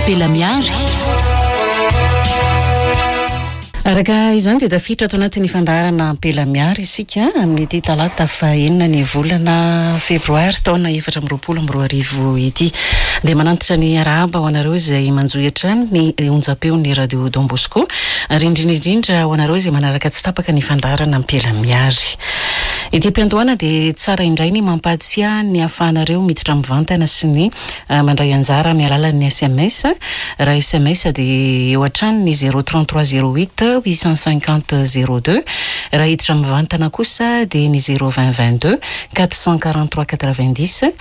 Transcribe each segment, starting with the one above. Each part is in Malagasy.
Ampela Miary. Araka izany dia tafiditra ato anatin'ny fandaharana Ampela Miary isika amin'ity talata fahenina ny volana febroary taona 2024 ity. Dia manantitra ny arahaba ho anareo izay manjohy hatrany ny onjam-peon'ny Radio Don Bosco ary indrindra indrindra ho anareo izay manaraka tsy tapaka ny fandaharana Ampela Miary. Ety am-piandohana dia tsara indray ny mampahatsiahy ny ahafahanareo miditra mivantana sy ny Mandray anjara amin'ny alalan'ny sms. Raha sms dia eo hatrany ny zéro 33 08 850 02. Raha hiditra mivantana kosa dia ny zéro 20 22 443 90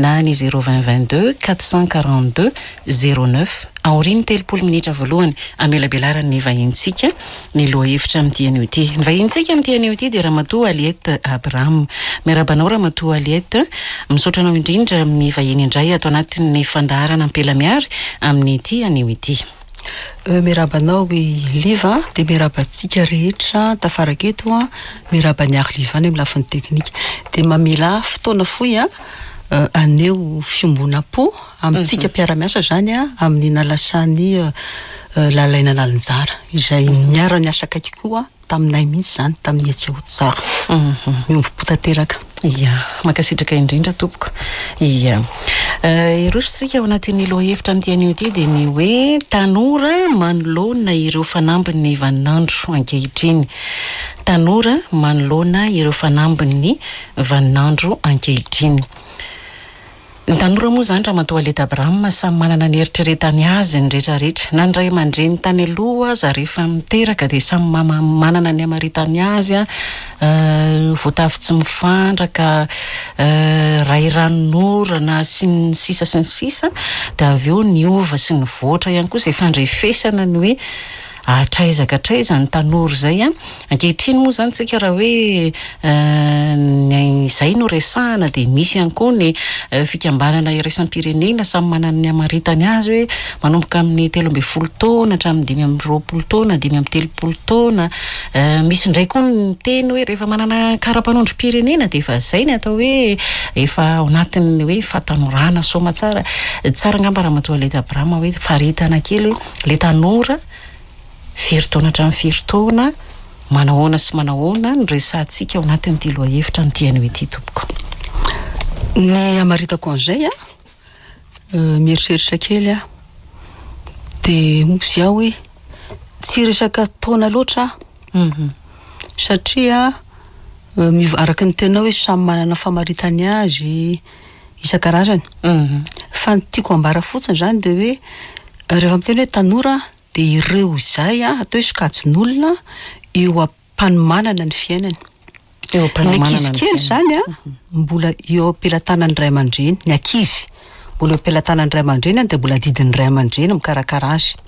na ny zéro 20 22 442 09. Aorian'ny 30 minitra voalohany hamelabelaran'ny vahinintsika ny lohahevitra amin'ity anio ity. Ny vahinintsika amin'ity anio ity dia Ramatoa Aliette Abraham. Miarahaba anao Ramatoa Aliette. Misaotra anao indrindra mivahiny indray ato anatin'ny fandaharana Ampela Miary amin'ity anio ity. Miarahaba anao i Liva, dia miarahaba antsika rehetra tafaraka eto, miarahaba an'i Arliva any amin'ny lafiny teknika. Dia mamelà fotoana fohy haneho fiombonam-po amintsika mpiara-miasa izany amin'ny nalasan'i Lalaina Nalinjara izay niara-niasa akaiky koa taminay mihitsy izany tamin'ny hetsika ho tsara. Miombom-po tanteraka. Ia, mankasitraka indrindra tompoko. Ia. Hiroso isika ao anatin'ny lohahevitra amin'ity anio ity dia ny hoe tanora manoloana ireo fanambin'ny vaninandro ankehitriny. Tanora manoloana ireo fanambin'ny vaninandro ankehitriny. Ny tanora moa izany Ramatoa Aleta Abraham samy manana ny eritreretany azy ny rehetra rehetra. Na ny ray aman-dreny tany aloha aza rehefa miteraka dia samy manana ny hamaritany azy, voatavo tsy mifandraka, ray ranonorana sy ny sisa sy ny sisa. Dia avy eo niova sy nivoatra ihany koa izay fandrefesana ny hoe hatraiza ka hatraiza ny tanora izay an. Ankehitriny moa izany tsika raha hoe ny izay no resahana dia misy ihany koa ny fikambanana iraisam-pirenena samy manana ny hamaritany azy hoe manomboka amin'ny 13 taona hatramin'ny 25 taona, 35 taona. Misy indray koa ny miteny hoe rehefa manana kara-panondrom-pirenena dia efa izay ny atao hoe efa ao anatin'ny hoe fahatanorana soamatsara. Tsara angamba Ramatoa Aleta Abraham hoe faritana kely hoe ilay tanora firy taona hatramin'ny firy taona, manahoana sy manahoana no resahantsika ao anatin'ity lohahevitra amin'ity anio ity tompoko. Ny hamaritako an'izay an, mieritreritra kely aho, dia hozy aho hoe tsy resaka taona loatra aho, satria miova araka ny teninao hoe samy manana famaritany azy isan-karazany, fa ny tiako ambara fotsiny izany dia hoe rehefa miteny hoe tanora dia ireo izay atao hoe sokajin'olona eo am-panomanana ny fiainany. Eo am-panomanana ny ankizy kely izany an, mbola eo am-pelatanan'ny ray aman-dreny, ny ankizy mbola eo am-pelatanan'ny ray aman-dreny dia mbola adidin'ny ray aman-dreny mikarakara azy.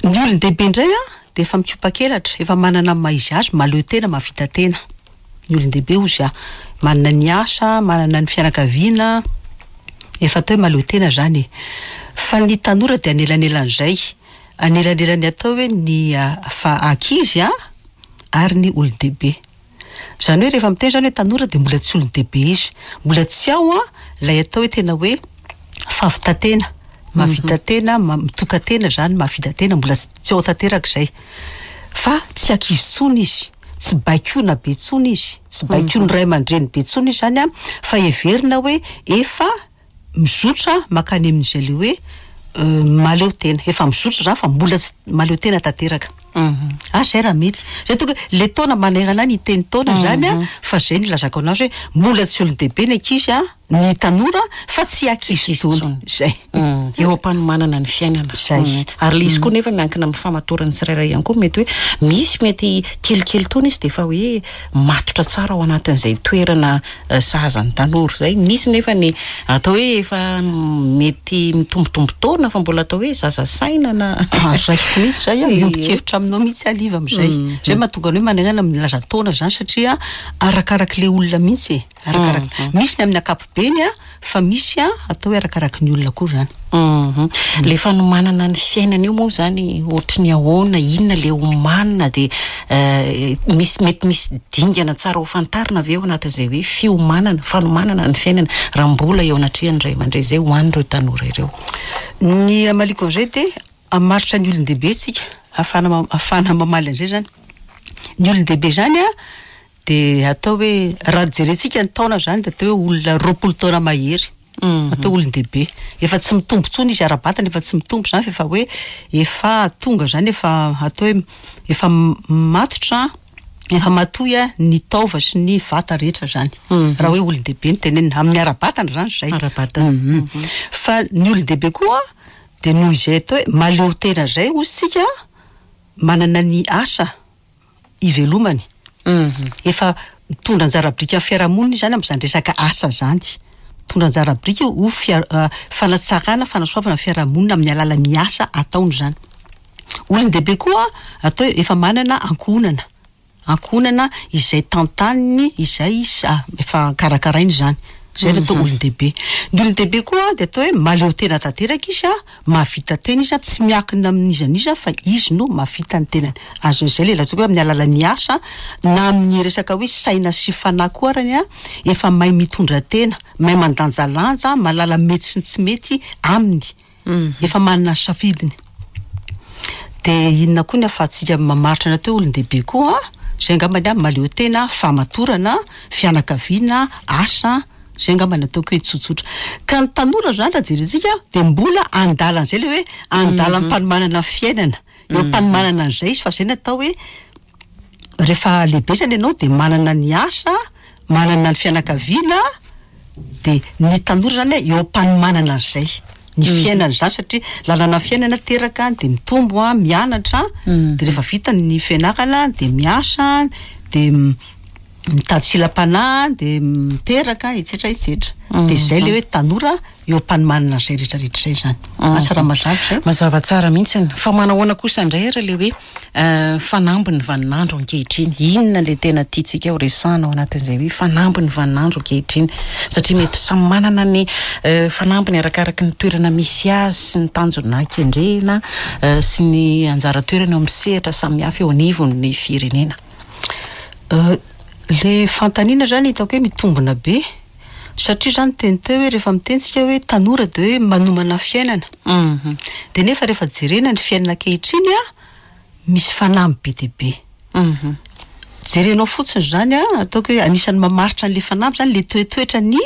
Ny olon-dehibe indray an, dia efa mikopa-kelatra, efa manana ny maha izy azy, mahaleo tena, mahavita tena. Ny olon-dehibe hozy aho, manana ny asa, manana ny fianakaviana, efa atao hoe mahaleo tena izany e. Fa ny tanora dia anelanelan'izay, anelanelan'ny atao hoe ny fa ankizy an, ary ny olon-dehibe. Izany hoe rehefa miteny izany hoe tanora dia mbola tsy olon-dehibe izy, mbola tsy ao an ilay atao hoe tena hoe fahavitan-tena, mahavita tena, mitokan-tena izany, mahavita tena, mbola tsy ao tanteraka izay. Fa tsy ankizy intsony izy. tsy baikoina be tsony izy, tsy baikoin'ny ray aman-dreny be tsony izy zany an, fa heverina hoe efa mizotra mankany amin'izay le hoe mahaleo tena, efa mizotra zany fa mbola tsy mahaleo tena tanteraka. Ah zay raha mety. Zay tonga hoe le taona manerana ny hiteny taona zany an, fa zay no ilazako anazy hoe mbola tsy olon-dehibe ny ankizy an, ny tanora fa tsy ankizy intsony. Zay. Eo am-panomanana ny fiainana. Zay. Ary ilay izy koa nefa miankina amin'ny famatoran'ny tsirairay ihany koa, mety hoe misy mety kelikely taona izy dia efa hoe matotra tsara ao anatin'izay toerana sahaza ny tanora izay, misy nefa ny atao hoe efa mety mitombotombo taona fa mbola atao hoe zaza saina na. Raisiko mihitsy izay an, miombon-kevitra aminao mihitsy aho Liva amin'izay. Izay mahatonga ny hoe manerana milaza taona izany satria arakarak'ilay olona mihitsy e, arakaraka, misy ny amin'ny ankapobeny. ankapobeny a, fa misy a atao hoe arakaraky ny olona koa zany. Hum. Le fanomanana ny fiainana io moa zany ohatry ny ahoana, inona le omanina dia misy mety misy dingana tsara ho fantarina ve ao anatin'izay hoe fiomanana, fanomanana ny fiainana raha mbola eo anatrehan'ny ray aman-dreny izay ho an'ireo tanora ireo? Ny hamaliako an'izay dia hamaritra ny olon-dehibe tsika, ahafahana ahafahana mamaly an'izay zany. Ny olon-dehibe zany an dia atao hoe raha jerentsika ny taona zany dia atao hoe olona 20 taona mahery. Atao olon-dehibe. Efa tsy mitombo intsony izy ara-batana, efa tsy mitombo izany fa efa hoe efa tonga izany efa atao hoe efa matotra, efa matoy ny taova sy ny vata rehetra izany. Raha hoe olon-dehibe no tenenina. Amin'ny ara-batana izany izay. Ara-batana. Fa ny olon-dehibe koa dia noho izay atao hoe mahaleo tena izay hozy tsika, manana ny asa ivelomany. Efa mitondra anjara biriky amin'ny fiarahamonina izy izany amin'izany resaka asa izany. Mitondra anjara biriky ho fanatsarana, fanasoavana ny fiarahamonina amin'ny alalan'ny asa ataony izany. Olon-dehibe koa atao hoe efa manana ankohonana, ankohonana izay tantaniny, izay efa karakarainy izany. Izay no atao olon-dehibe. Ny olon-dehibe koa dia atao hoe mahaleo tena tanteraka izy, mahavita tena izy, tsy miankina amin'iza n'iza fa izy no mahavita ny tenany. Azon'izay ilay lazaiko hoe amin'ny alalan'ny asa na amin'ny resaka hoe saina sy fanahy koa arany, efa mahay mitondra tena, mahay mandanjalanja, mahalala ny mety sy ny tsy mety aminy. Efa manana ny safidiny. Dia inona koa ny ahafahantsika mamaritra ny atao hoe olon-dehibe koa? Izay angambany an, mahaleo tena, fahamatorana, fianakaviana, asa, izay angamba ny ataoko hoe tsotsotra. Ka ny tanora izany raha jerentsika dia mbola andalan'izay ilay hoe andalam-panomanana ny fiainana. Eo am-panomanana an'izay izy fa izay no atao hoe rehefa lehibe zany ianao dia manana ny asa, manana ny fianakaviana, dia ny tanora zany eo am-panomanana an'izay, ny fiainana izany satria lalana fiainana teraka dia mitombo an, mianatra, dia rehefa vita ny fianarana dia miasa, dia mitady silam-panahy, dia miteraka, etsetra etsetra. Dia izay ilay hoe tanora eo am-panomanana an'izay rehetra rehetra izay izany. Asa raha mazava izay? Mazava tsara mihitsy. Fa manahoana kosa indray ary ilay hoe fanamby ny vaninandro ankehitriny? Inona ilay tena tiantsika ho resahana ao anatin'izay hoe fanamby ny vaninandro ankehitriny? Satria mety samy manana ny fanambiny arakaraky ny toerana misy azy sy ny tanjona kendrena sy ny anjara toerana eo amin'ny sehatra samihafa eo anivon'ny firenena. Le fanontaniana zany hitako hoe mitombina be satria zany teny teo hoe rehefa miteny tsika hoe tanora de hoe manomana fiainana. De nefa rehefa jerena ny fiainana ankehitriny an, misy fanamby be dia be. Jerenao fotsiny zany an, ataoko hoe anisan'ny mamaritra an'le fanamby zany le toetoetran'ny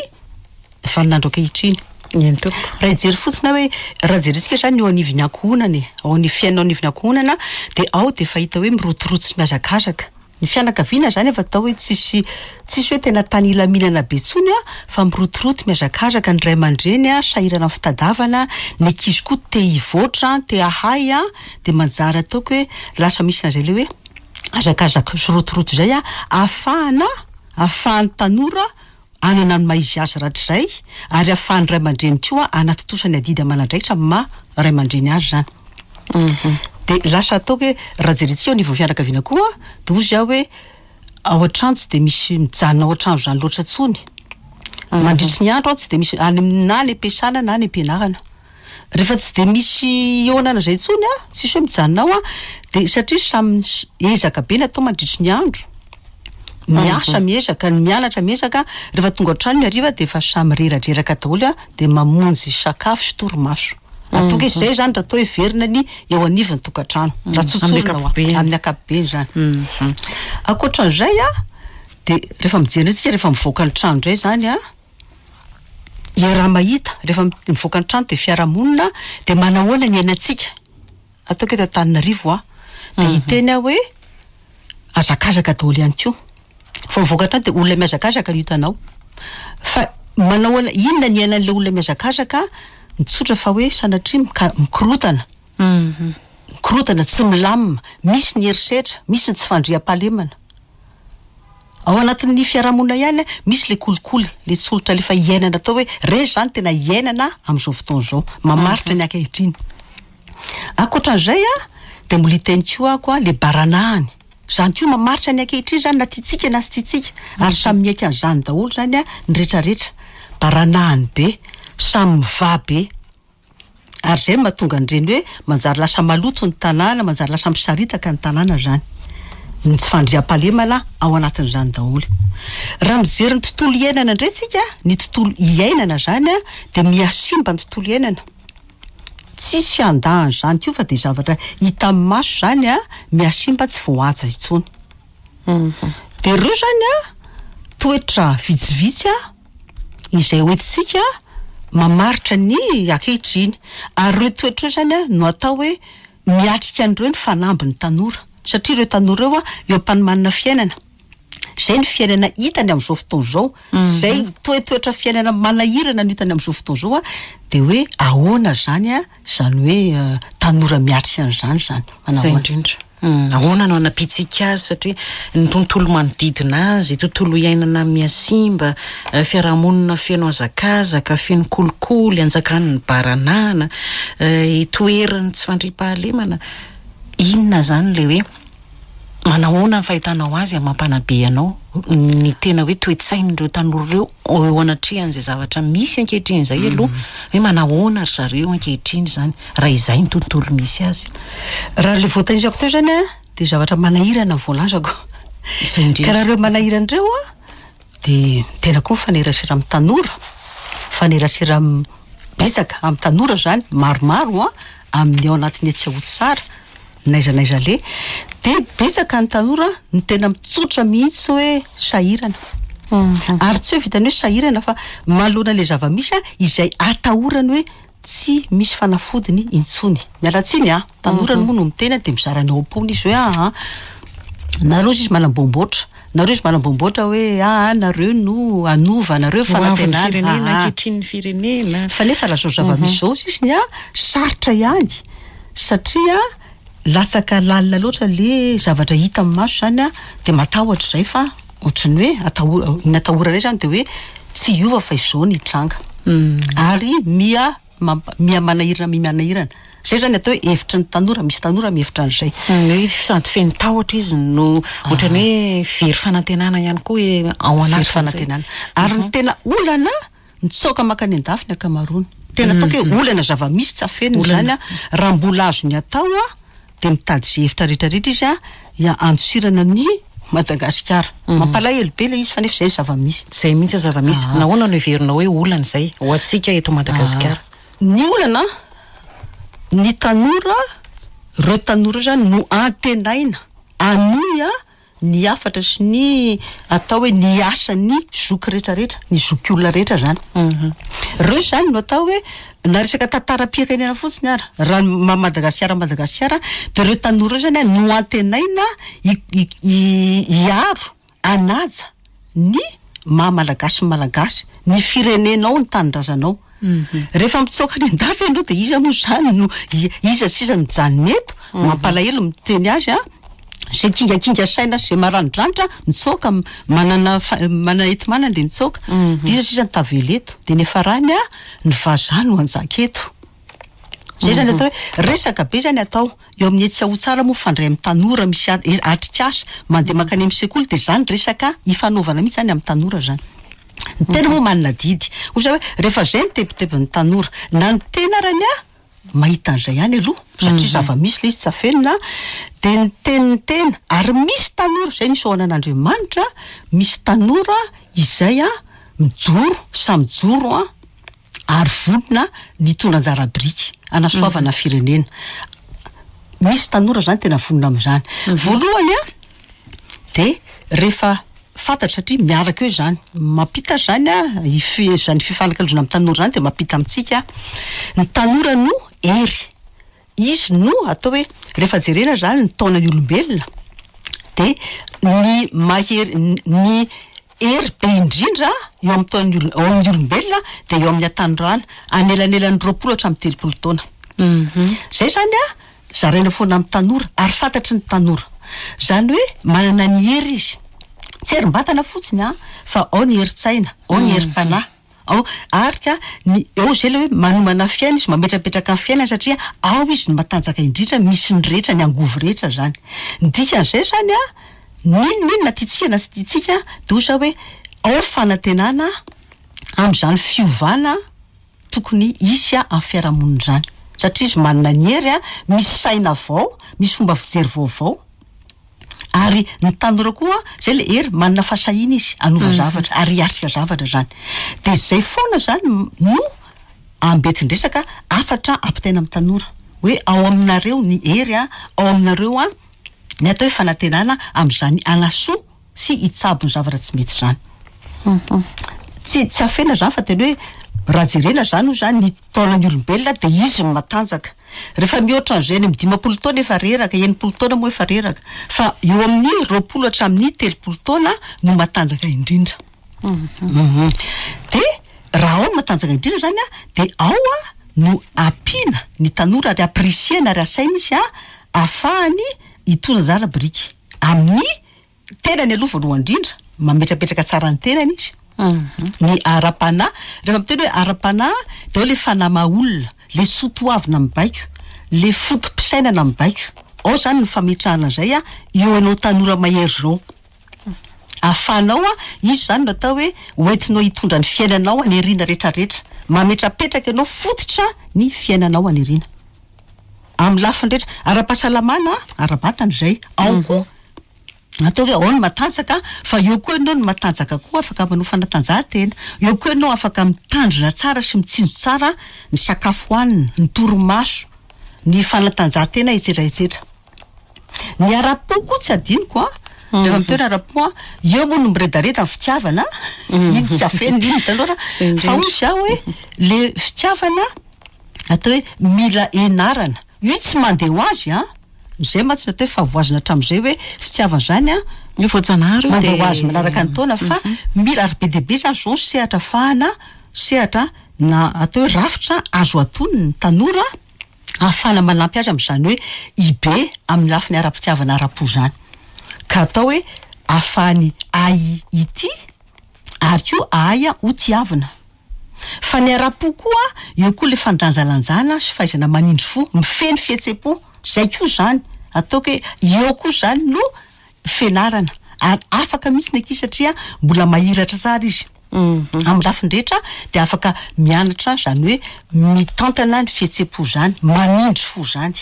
vaninandro ankehitriny. Eny tompoko. Raha hijery fotsiny aho hoe raha jerentsika zany eo anivon'ny ankohonana e, ao ny fiainana ao anivon'ny ankohonana dia ao dia efa hita hoe mirotoroto sy mihazakazaka. Ny fianakaviana zany efa atao hoe tsisy tsisy hoe tena tany hilaminana be intsony an, fa mirotoroto mihazakazaka ny ray aman-dreny an, sahirana amin'ny fitadiavana, ny ankizy koa te hivoatra, te hahay an, dia manjary ataoko hoe lasa misy an'izay le hoe hazakazaka sy rotoroto izay an, ahafahana ahafahan'ny tanora hanana ny maha izy azy rahatrizay ary ahafahan'ny ray aman-dreny koa hanatontosa ny adidy aman'andraikitra amin'ny maha ray aman-dreny azy izany. Dia lasa ataoko hoe raha jerentsika eo anivon'ny fianakaviana koa dia hozy aho hoe ao an-trano tsy dia misy mijanona ao an-trano izany loatra intsony. Mandritry ny andro tsy dia misy any na any am-piasana na any am-pianarana. Rehefa tsy dia misy hihaonana izay intsony an, tsisy hoe mijanona ao an, dia satria samy ezaka be ny atao mandritry ny andro, miasa miezaka, ny mianatra miezaka, rehefa tonga an-trano ny hariva dia efa samy reradreraka daholo an, dia mamonjy sakafo sy torimaso. Ataoko hoe izay izany raha atao heverina ny eo anivon'ny tokantrano, raha tsotsorina hoa, amin'ny ankapobeny izany. Ankoatran'izay an, dia rehefa mijery indray isika rehefa mivoaka ny trano indray izany an, Iaraha-mahita, rehefa mivoaka ny trano dia fiarahamonina, dia manahoana ny iainantsika? Ataoko eto Antananarivo aho, dia hiteny aho hoe hazakazaka daholo ihany koa. Vao mivoaka ny trano dia olona mihazakazaka no hitanao. Fa manahoana, inona ny iainan'ilay olona mihazakazaka? Ny tsotra fa hoe sanatria mikorontana, mikorontana, tsy milamina, misy ny herisetra, misy ny tsy fandriampahalemana. Ao anatin'ny fiarahamonina ihany misy le kolikoly, le tsolotra alefa iainana atao hoe reny izany tena iainana amin'izao fotoana izao, mamaritra ny ankehitriny. Ankoatran'izay an, dia mbola hiteny koa aho koa le baranahany, izany koa mamaritra ny ankehitriny izany na tiantsika na tsy tiantsika, ary samy miaiky an'izany daholo izany an ny retraretra. Baranahany be, samy mivaha be. Ary izay no mahatonga an'ireny hoe manjary lasa maloto ny tanàna, manjary lasa misaritaka ny tanàna izany. Ny tsy fandriampahalemana ao anatin'izany daholo. Raha mijery ny tontolo iainana indray tsika, ny tontolo iainana izany dia mihasimba ny tontolo iainana. Tsisy handà an'izany koa fa dia zavatra hita amin'ny maso izany mihasimba tsy voahaja intsony. Dia ireo izany toetra vitsivitsy izay hoentintsika mamaritra ny ankehitriny. Ary ireo toetra ireo izany no atao hoe miatrika an'ireo ny fanamby ny tanora. Satria ireo tanora ireo eo am-panomanana fiainana. Izay ny fiainana hitany amin'izao fotoana izao. Izay toetoetra fiainana manahirana no hitany amin'izao fotoana izao. Dia hoe ahoana izany izany hoe tanora miatrika an'izany izany. Manao Izay ahoana? indrindra. Ahoana no hanampiantsika azy satria ny tontolo manodidina azy, tontolo iainana mihasimba, fiarahamonina feno hazakazaka, feno kolikoly, anjakan'ny baranahana, itoeran'ny tsy fandriampahalemana. Inona izany ilay hoe manahoana ny fahitanao azy amin'ny maha mpanabe anao ny tena hoe toe-tsain'ireo tanora ireo eo anatrehan'izay zavatra misy ankehitriny izay aloha hoe manahoana ry zareo ankehitriny izany raha izay ny tontolo misy azy. Raha ilay voatanisako teo izany an, dia zavatra manahirana ny voalazako. Izay indrindra. Ka raha ireo manahirana ireo an, dia tena koa mifanerasera amin'ny tanora, mifanerasera betsaka amin'ny tanora izany, maromaro an, amin'ny ao anatin'ny etsy Aotsara, n'aiza n'aiza aleha, dia betsaka ny tanora no tena mitsotra mihitsy hoe sahirana. Ary tsy hoe vitan'ny hoe sahirana fa manoloana ilay zava-misy an, izay atahorany hoe tsy misy fanafodiny intsony. Miala tsiny an, tanora moa no miteny dia mizara ny ao am-pony izy hoe aa, nareo izy manamboamboatra, nareo izy manamboamboatra hoe aa nareo no hanova, nareo Ho avin'ny fanantenana, firenena, aa. ankehitrinin'ny firenena. Fa nefa raha izao zava-misy izao sisiny an, sarotra ihany satria latsaka lalina loatra le zavatra hita amin'ny maso izany an, dia matahotra izay fa ohatran'ny hoe ataho- ny atahoranay izany dia hoe tsy hiova fa izao ny hitranga. Ary miha mampa- miha manahirana miha manahirana. Izay izany atao hoe hevitry ny tanora, misy tanora mihevitra an'izay. Ny hoe sady feno tahotra izy no ohatran'ny hoe very fanantenana ihany koa hoe ao Very anatin'izay. fanantenana. Ary ny tena olana, mitsoaka mankany an-dafy ny ankamaroany. Tena ataoko hoe olana zava-misy tsy afenina izany an, raha mbola azony atao an, dia mitady izay hevitra rehetra rehetra izy an, ya handosirana an'i Madagasikara. Mampalahelo be ilay izy fa nefa izay ny zava-misy. Izay mihitsy ny zava-misy. Nahoana no heverinao hoe olana izay ho antsika eto Madagasikara? Ny olana, ny tanora, ireo tanora ireo izany no antenaina hanohy ny hafatra sy ny atao hoe ny asan'ny zoky rehetra rehetra, ny zokiolona rehetra izany. Ireo izany no atao hoe na resaka tantaram-pirenena fotsiny ara, raha ny maha Madagasikara an'i Madagasikara dia ireo tanora ireo izany no antenaina hiaro, hanaja ny maha Malagasy ny Malagasy, ny firenenao, ny tanindrazanao. Rehefa mitsoaka any an-dafy ianao dia iza moa izany no iza sisa no mijanona eto? Mampalahelo miteny azy an! Izay kingakinga saina sy izay maranidranitra mitsoaka, manana manana enti-manana dia mitsoaka. Dia iza sisa no tavela eto? Dia ny hiafarany an, ny vazaha no hanjaka eto. Izay izany atao hoe resaka be izany atao eo amin'ny etsy Aotsara moa mifandray amin'ny tanora misy atrikasa mandeha mankany amin'ny sekoly dia izany resaka ifanaovana mihitsy izany amin'ny tanora izany. Ny tena moa manana adidy. Hoy za hoe rehefa izay ny tebitebin'ny tanora na ny tena arany aho mahita an'izay ihany aloha satria zava-misy ilay izy tsy afenina dia ny tenin'ny tena ary misy tanora izay no isaorana an'Andriamanitra misy tanora izay mijoro samy mijoro an ary vonona ny hitondra anjara biriky hanasoavana firenena. Misy tanora izany tena vonona amin'izany. Voalohany an, dia rehefa fantatra satria miaraka eo izany, mampita izany an, izany fifanakalozana amin'ny tanora izany dia mampita amintsika, ny tanora no hery. Izy no atao hoe, rehefa jerena izany ny taonan'ny olombelona dia ny mahery, ny hery be indrindra eo amin'ny taonan'ny olo- ao amin'ny olombelona dia eo amin'ny hatanorana, anelanelan'ny 20 hatramin'ny 30 taona. Izay izany an, zaraina foana amin'ny tanora ary fantatry ny tanora. Izany hoe manana ny hery izy. Tsy herim-batana fotsiny an, fa ao ny herin-tsaina, ao ny herim-panahy. Ao ary ka ny eo izay ilay hoe manomana fiainana izy, mametrapetraka ny fiainany satria ao izy no matanjaka indrindra, misy ny rehetra, ny angovo rehetra izany. Ny dikan'izay izany an, n'inon'inona tiantsika na tsy tiantsika dia hoy za hoe ao ny fanantenana. Amin'izany fiovana tokony hisy amin'ny fiarahamonina izany. Satria izy manana ny hery, misy saina vao, misy fomba fijery vaovao. Ary ny tanora koa, izay ilay hery, manana fahasahiana izy hanova zavatra ary hiatrika zavatra izany. Dia izay foana izany no ambetin-dresaka hafatra ampitaina amin'ny tanora. Hoe ao aminareo ny hery, ao aminareo ny atao hoe fanantenana amin'izany hanasoa sy hitsabo ny zavatra tsy mety izany. Tsy tsy afenina izany fa tena hoe raha jerena izany hoy izany ny taonan'ny olombelona dia izy no matanjaka. Rehefa mihoatra an'izay any amin'ny 50 taona efa reraka, 60 taona moa efa reraka. Fa eo amin'ny 20 hatramin'ny 30 taona no matanjaka indrindra. Dia raha ao no matanjaka indrindra izany an, dia ao no ampiana ny tanora ary ampirisihana ary asaina izy ahafahany hitondra anjara biriky amin'ny tenany aloha voalohany indrindra, mametrapetraka tsara ny tenany izy, ny ara-panahy, rehefa miteny hoe ara-panahy dia ao le fanahy maha olona, le soa toavina mibaiko, le foto-pisainana mibaiko, ao zany ny fametrahana an'izay eo anao tanora mahery zao, ahafahanao izy zany no atao hoe hoentinao hitondra ny fiainanao any aoriana retraretra, mametrapetraka ianao fototra ny fiainanao any aoriana, amin'ny lafiny rehetra, ara-pahasalamana, ara-batana izay, ao koa Atao hoe ao ny matanjaka fa eo koa ianao no matanjaka koa afaka manao fanatanjahantena, eo koa ianao afaka mitandrina tsara sy mitsinjo tsara ny sakafo hohanina, ny torimaso, ny fanatanjahantena etsetra etsetra. Ny ara-po koa tsy adinoko an, rehefa miteny ara-po an, eo moa no miredareda ny fitiavana, iny tsy afenina iny hitanao raha, fa hoy izaho hoe le fitiavana atao hoe mila enarana, io tsy mandeha ho azy an. Izay mantsy ny atao hoe fahavoazana hatramin'izay hoe fitiavana izany an, Io voajanahary io mandeha ho azy manaraka ny taona fa mila ary be dia be izany izao ny sehatra afahana sehatra na atao hoe rafitra azo atonina ny tanora ahafahana manampy azy amin'izany hoe hibe amin'ny lafiny ara-pitiavana ara-po izany. Ka atao hoe ahafahany ahy hitia ary koa ahay ho tiavina. Fa ny ara-po koa, eo koa le fandanjalanjana sy fahaizana manindry fo, mifehy ny fihetsem-po, zay koa zany, ataoko hoe eo koa zany no fianarana, ary afaka mihitsy ny ankizy satria mbola mahiratra tsara izy amin'ny lafiny rehetra dia afaka mianatra zany hoe mitantana ny fihetsem-po zany, manindry fo zany.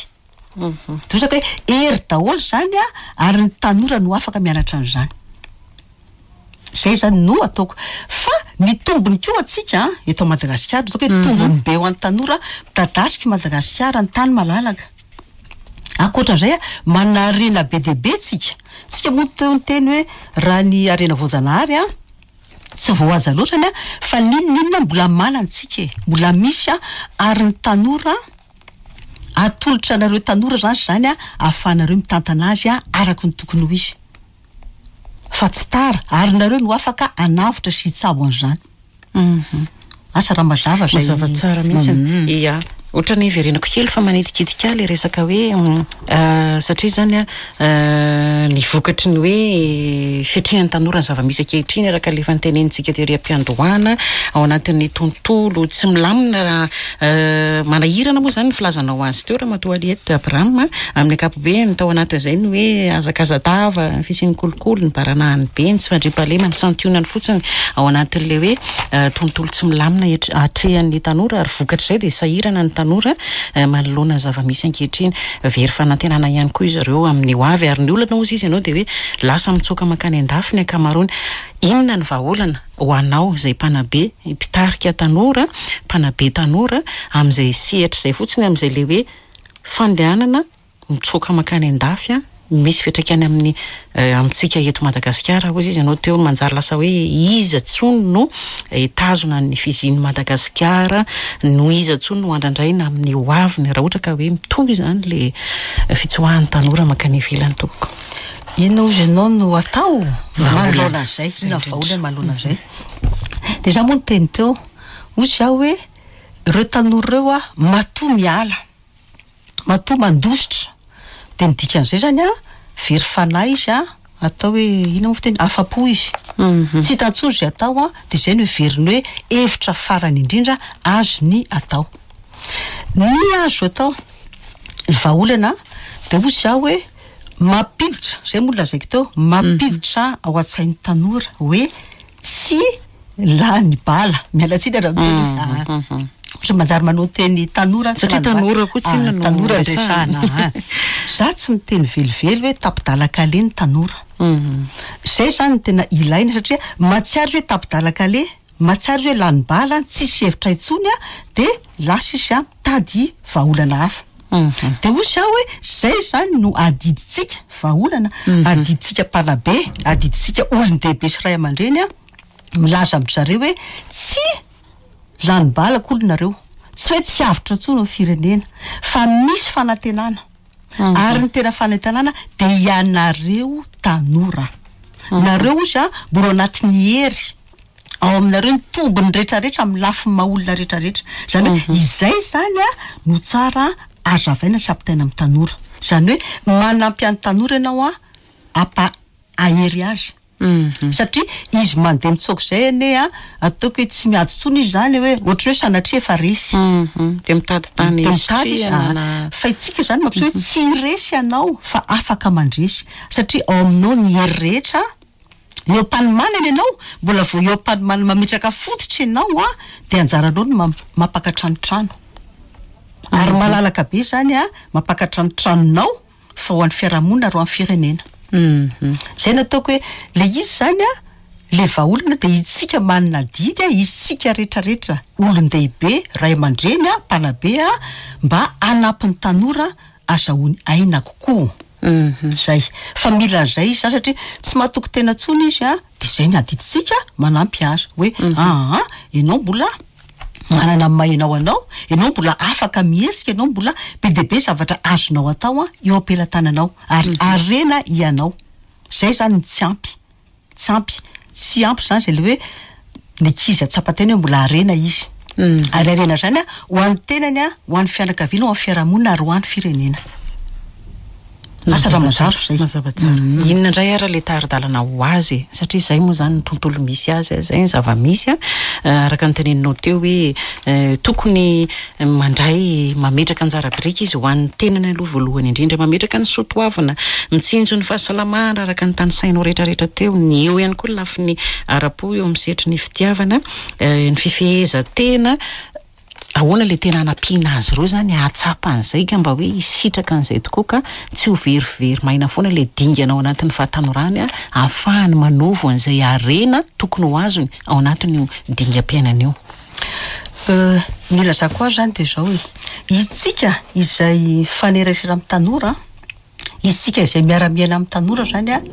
Dosaka hoe hery daholo zany ary ny tanora no afaka mianatra an'izany. Zay zany no ataoko. Fa ny tombony koa antsika eto Madagasikara, ataoko hoe tombony be ho an'ny tanora, midadasika i Madagasikara, ny tany malalaka. Ankoatran'izay, manana harena be dia be tsika. Tsika moa teo niteny hoe raha ny harena voajanahary an, tsy voahaja loatra ny an, fa n'inon'inona mbola manana tsika e, mbola misy an, ary ny tanora atolotra anareo tanora zany izany an, ahafahanareo mitantana azy araka ny tokony ho izy. Fa tsy tara, ary nareo no afaka hanavotra sy hitsabo an'izany. Asa raha mazava izay. Mazava tsara mihitsy. Ia. Ohatran'ny hiverenako kely fa manitikitika ahy ilay resaka hoe satria izany an, ny vokatry ny hoe fiatrehan'ny tanora ny zava-misy ankehitriny araka ilay efa notenenintsika tery am-piandohana ao anatin'ny tontolo tsy milamina raha manahirana moa izany ny filazanao azy teo Ramatoa Aliette Abraham amin'ny ankapobeny tao anatin'izay ny hoe hazakazadava, ny fisian'ny kolikoly, ny baranahiny be, ny tsy fandriampahalemana, santionany fotsiny ao anatin'ilay hoe tontolo tsy milamina atrehan'ny tanora ary vokatr'izay dia sahirana ny tanora manoloana ny zava-misy ankehitriny. Very fanantenana ihany koa izy ireo amin'ny ho avy ary ny olana hozy izy ianao dia hoe lasa mitsoaka mankany an-dafy ny ankamaroany. Inona ny vahaolana ho anao izay mpanabe, mpitarika tanora, mpanabe tanora amin'izay sehatra izay fotsiny amin'izay ilay hoe fandehanana mitsoaka mankany an-dafy an, misy fiantraikany amin'ny amintsika eto Madagasikara hozy izy ianao teo manjary lasa hoe iza tsony no hitazona ny fizian'i Madagasikara no iza tsony no andrandraina amin'ny ho aviny raha ohatra ka hoe mitohy izany le fitsoahan'ny tanora mankany ivelany tompoko. Inona hozy ianao no atao manoloana an'izay? Inona ny vahaolana manoloana an'izay? Dia izaho moa niteny teo, hoy izaho hoe ireo tanora ireo an, matoa miala. Matoa mandositra dia ny dikan'izay zany an, very fanahy izy an, atao hoe inona moa fiteny, afa-po izy. Tsy hita intsony izay atao an, dia izay no heveriny hoe hevitra farany indrindra azony atao. Ny azo atao, ny vahaolana dia hoy izaho hoe mampiditra, izay moa no lazaiko teo, mampiditra ao an-tsain'ny tanora hoe tsy. Lany bala, miala tsiny raha miteny hoe ah. Manjary manao teny tanora tsy Satria lany bala. tanora koa tsinona no Tanora resahana. resahana, ah. Za tsy miteny velively hoe tapi-dalan-kaleha ny tanora. Zay zany no tena ilaina satria mahatsiaro izy hoe tapi-dalan-kaleha, mahatsiaro izy hoe lany bala, tsisy hevitra intsony a, dia lasa izy a mitady vahaolana hafa. Dia hoy za hoe zay zany no adidintsika, vahaolana, adidintsika mpanabe, adidintsika olon-dehibe sy ray aman-dreny a, milaza amin-dry zareo hoe tsy lany bala akory nareo, tsy hoe tsy avotra intsony ny firenena, fa misy fanantenana. Ary ny tena fanantenana dia ianareo tanora. Nareo ozy a, mbola ao anatin'ny hery, ao aminareo ny tombony rehetrarehetra amin'ny lafiny maha olona rehetrarehetra. Izany hoe izay zany a no tsara azavaina sy ampitaina amin'ny tanora. Izany hoe manampy an'ny tanora ianao a, ampa ahery azy. Satria izy mandeha mitsoaka izay anie a, ataoko hoe tsy miady intsony izy zany hoe ohatran'ny hoe sanatria efa resy. Dia mitady tany Dia mitady izy, hisitrihana na Fa itsika zany mampiseho hoe tsy resy ianao fa afaka mandresy. Satria ao aminao ny hery rehetra, eo am-panomanana ianao, mbola vao eo am-panomanana mametraka fototra ianao a, dia anjaranao ny mampakatra ny trano. Ary malalaka be zany a, mampakatra ny tranonao fa ho an'ny fiarahamonina ary ho an'ny firenena. Zay no ataoko hoe le izy zany a, le vahaolana dia itsika manana adidy a, isika rehetrarehetra, olon-dehibe, ray aman-dreny a, mpanabe a, mba hanampy ny tanora azahoany aina kokoa. Zay. Fa mila an'izay izy zany satria tsy mahatoky tena intsony izy a, dia zay ny adidintsika manampy azy hoe aa, ianao mbola manana ny maha ianao anao, ianao mbola afaka mihetsika, ianao mbola be dia be zavatra azonao atao a, eo am-pelatananao ary harena ianao. Zay zany ny tsy ampy, tsy ampy, tsy ampy zany zay le hoe ny ankizy ahatsapa-tena hoe mbola harena izy. Ary harena zany a, ho an'ny tenany a, ho an'ny fianakaviana, ho an'ny fiarahamonina ary ho an'ny firenena. Asa raha mazava izay. Mazava tsara. Inona indray ary ilay tari-dalana ho azy e? Satria izay moa izany ny tontolo misy azy, izay ny zava-misy a. Araka ny teneninao teo hoe tokony mandray, mametraka anjara biriky izy ho an'ny tenany aloha voalohany indrindra, mametraka ny soa toavina, mitsinjo ny fahasalamana araka ny tanisainao rehetrarehetra teo, ny eo ihany koa ny lafiny ara-po eo amin'ny sehatry ny fitiavana, ny fifehezan-tena. Ahoana ilay tena hanampiana azy ireo izany hahatsapa an'izay ka mba hoe hisitraka an'izay tokoa ka tsy ho verivery maina foana ilay dingana ao anatin'ny fahatanorany ahafahany manovo an'izay harena tokony ho azony ao anatin'io dingam-piainana io? Ny ilazako azy izany dia izao e, isika izay mifanerasera amin'ny tanora, isika izay miara-miaina amin'ny tanora izany an,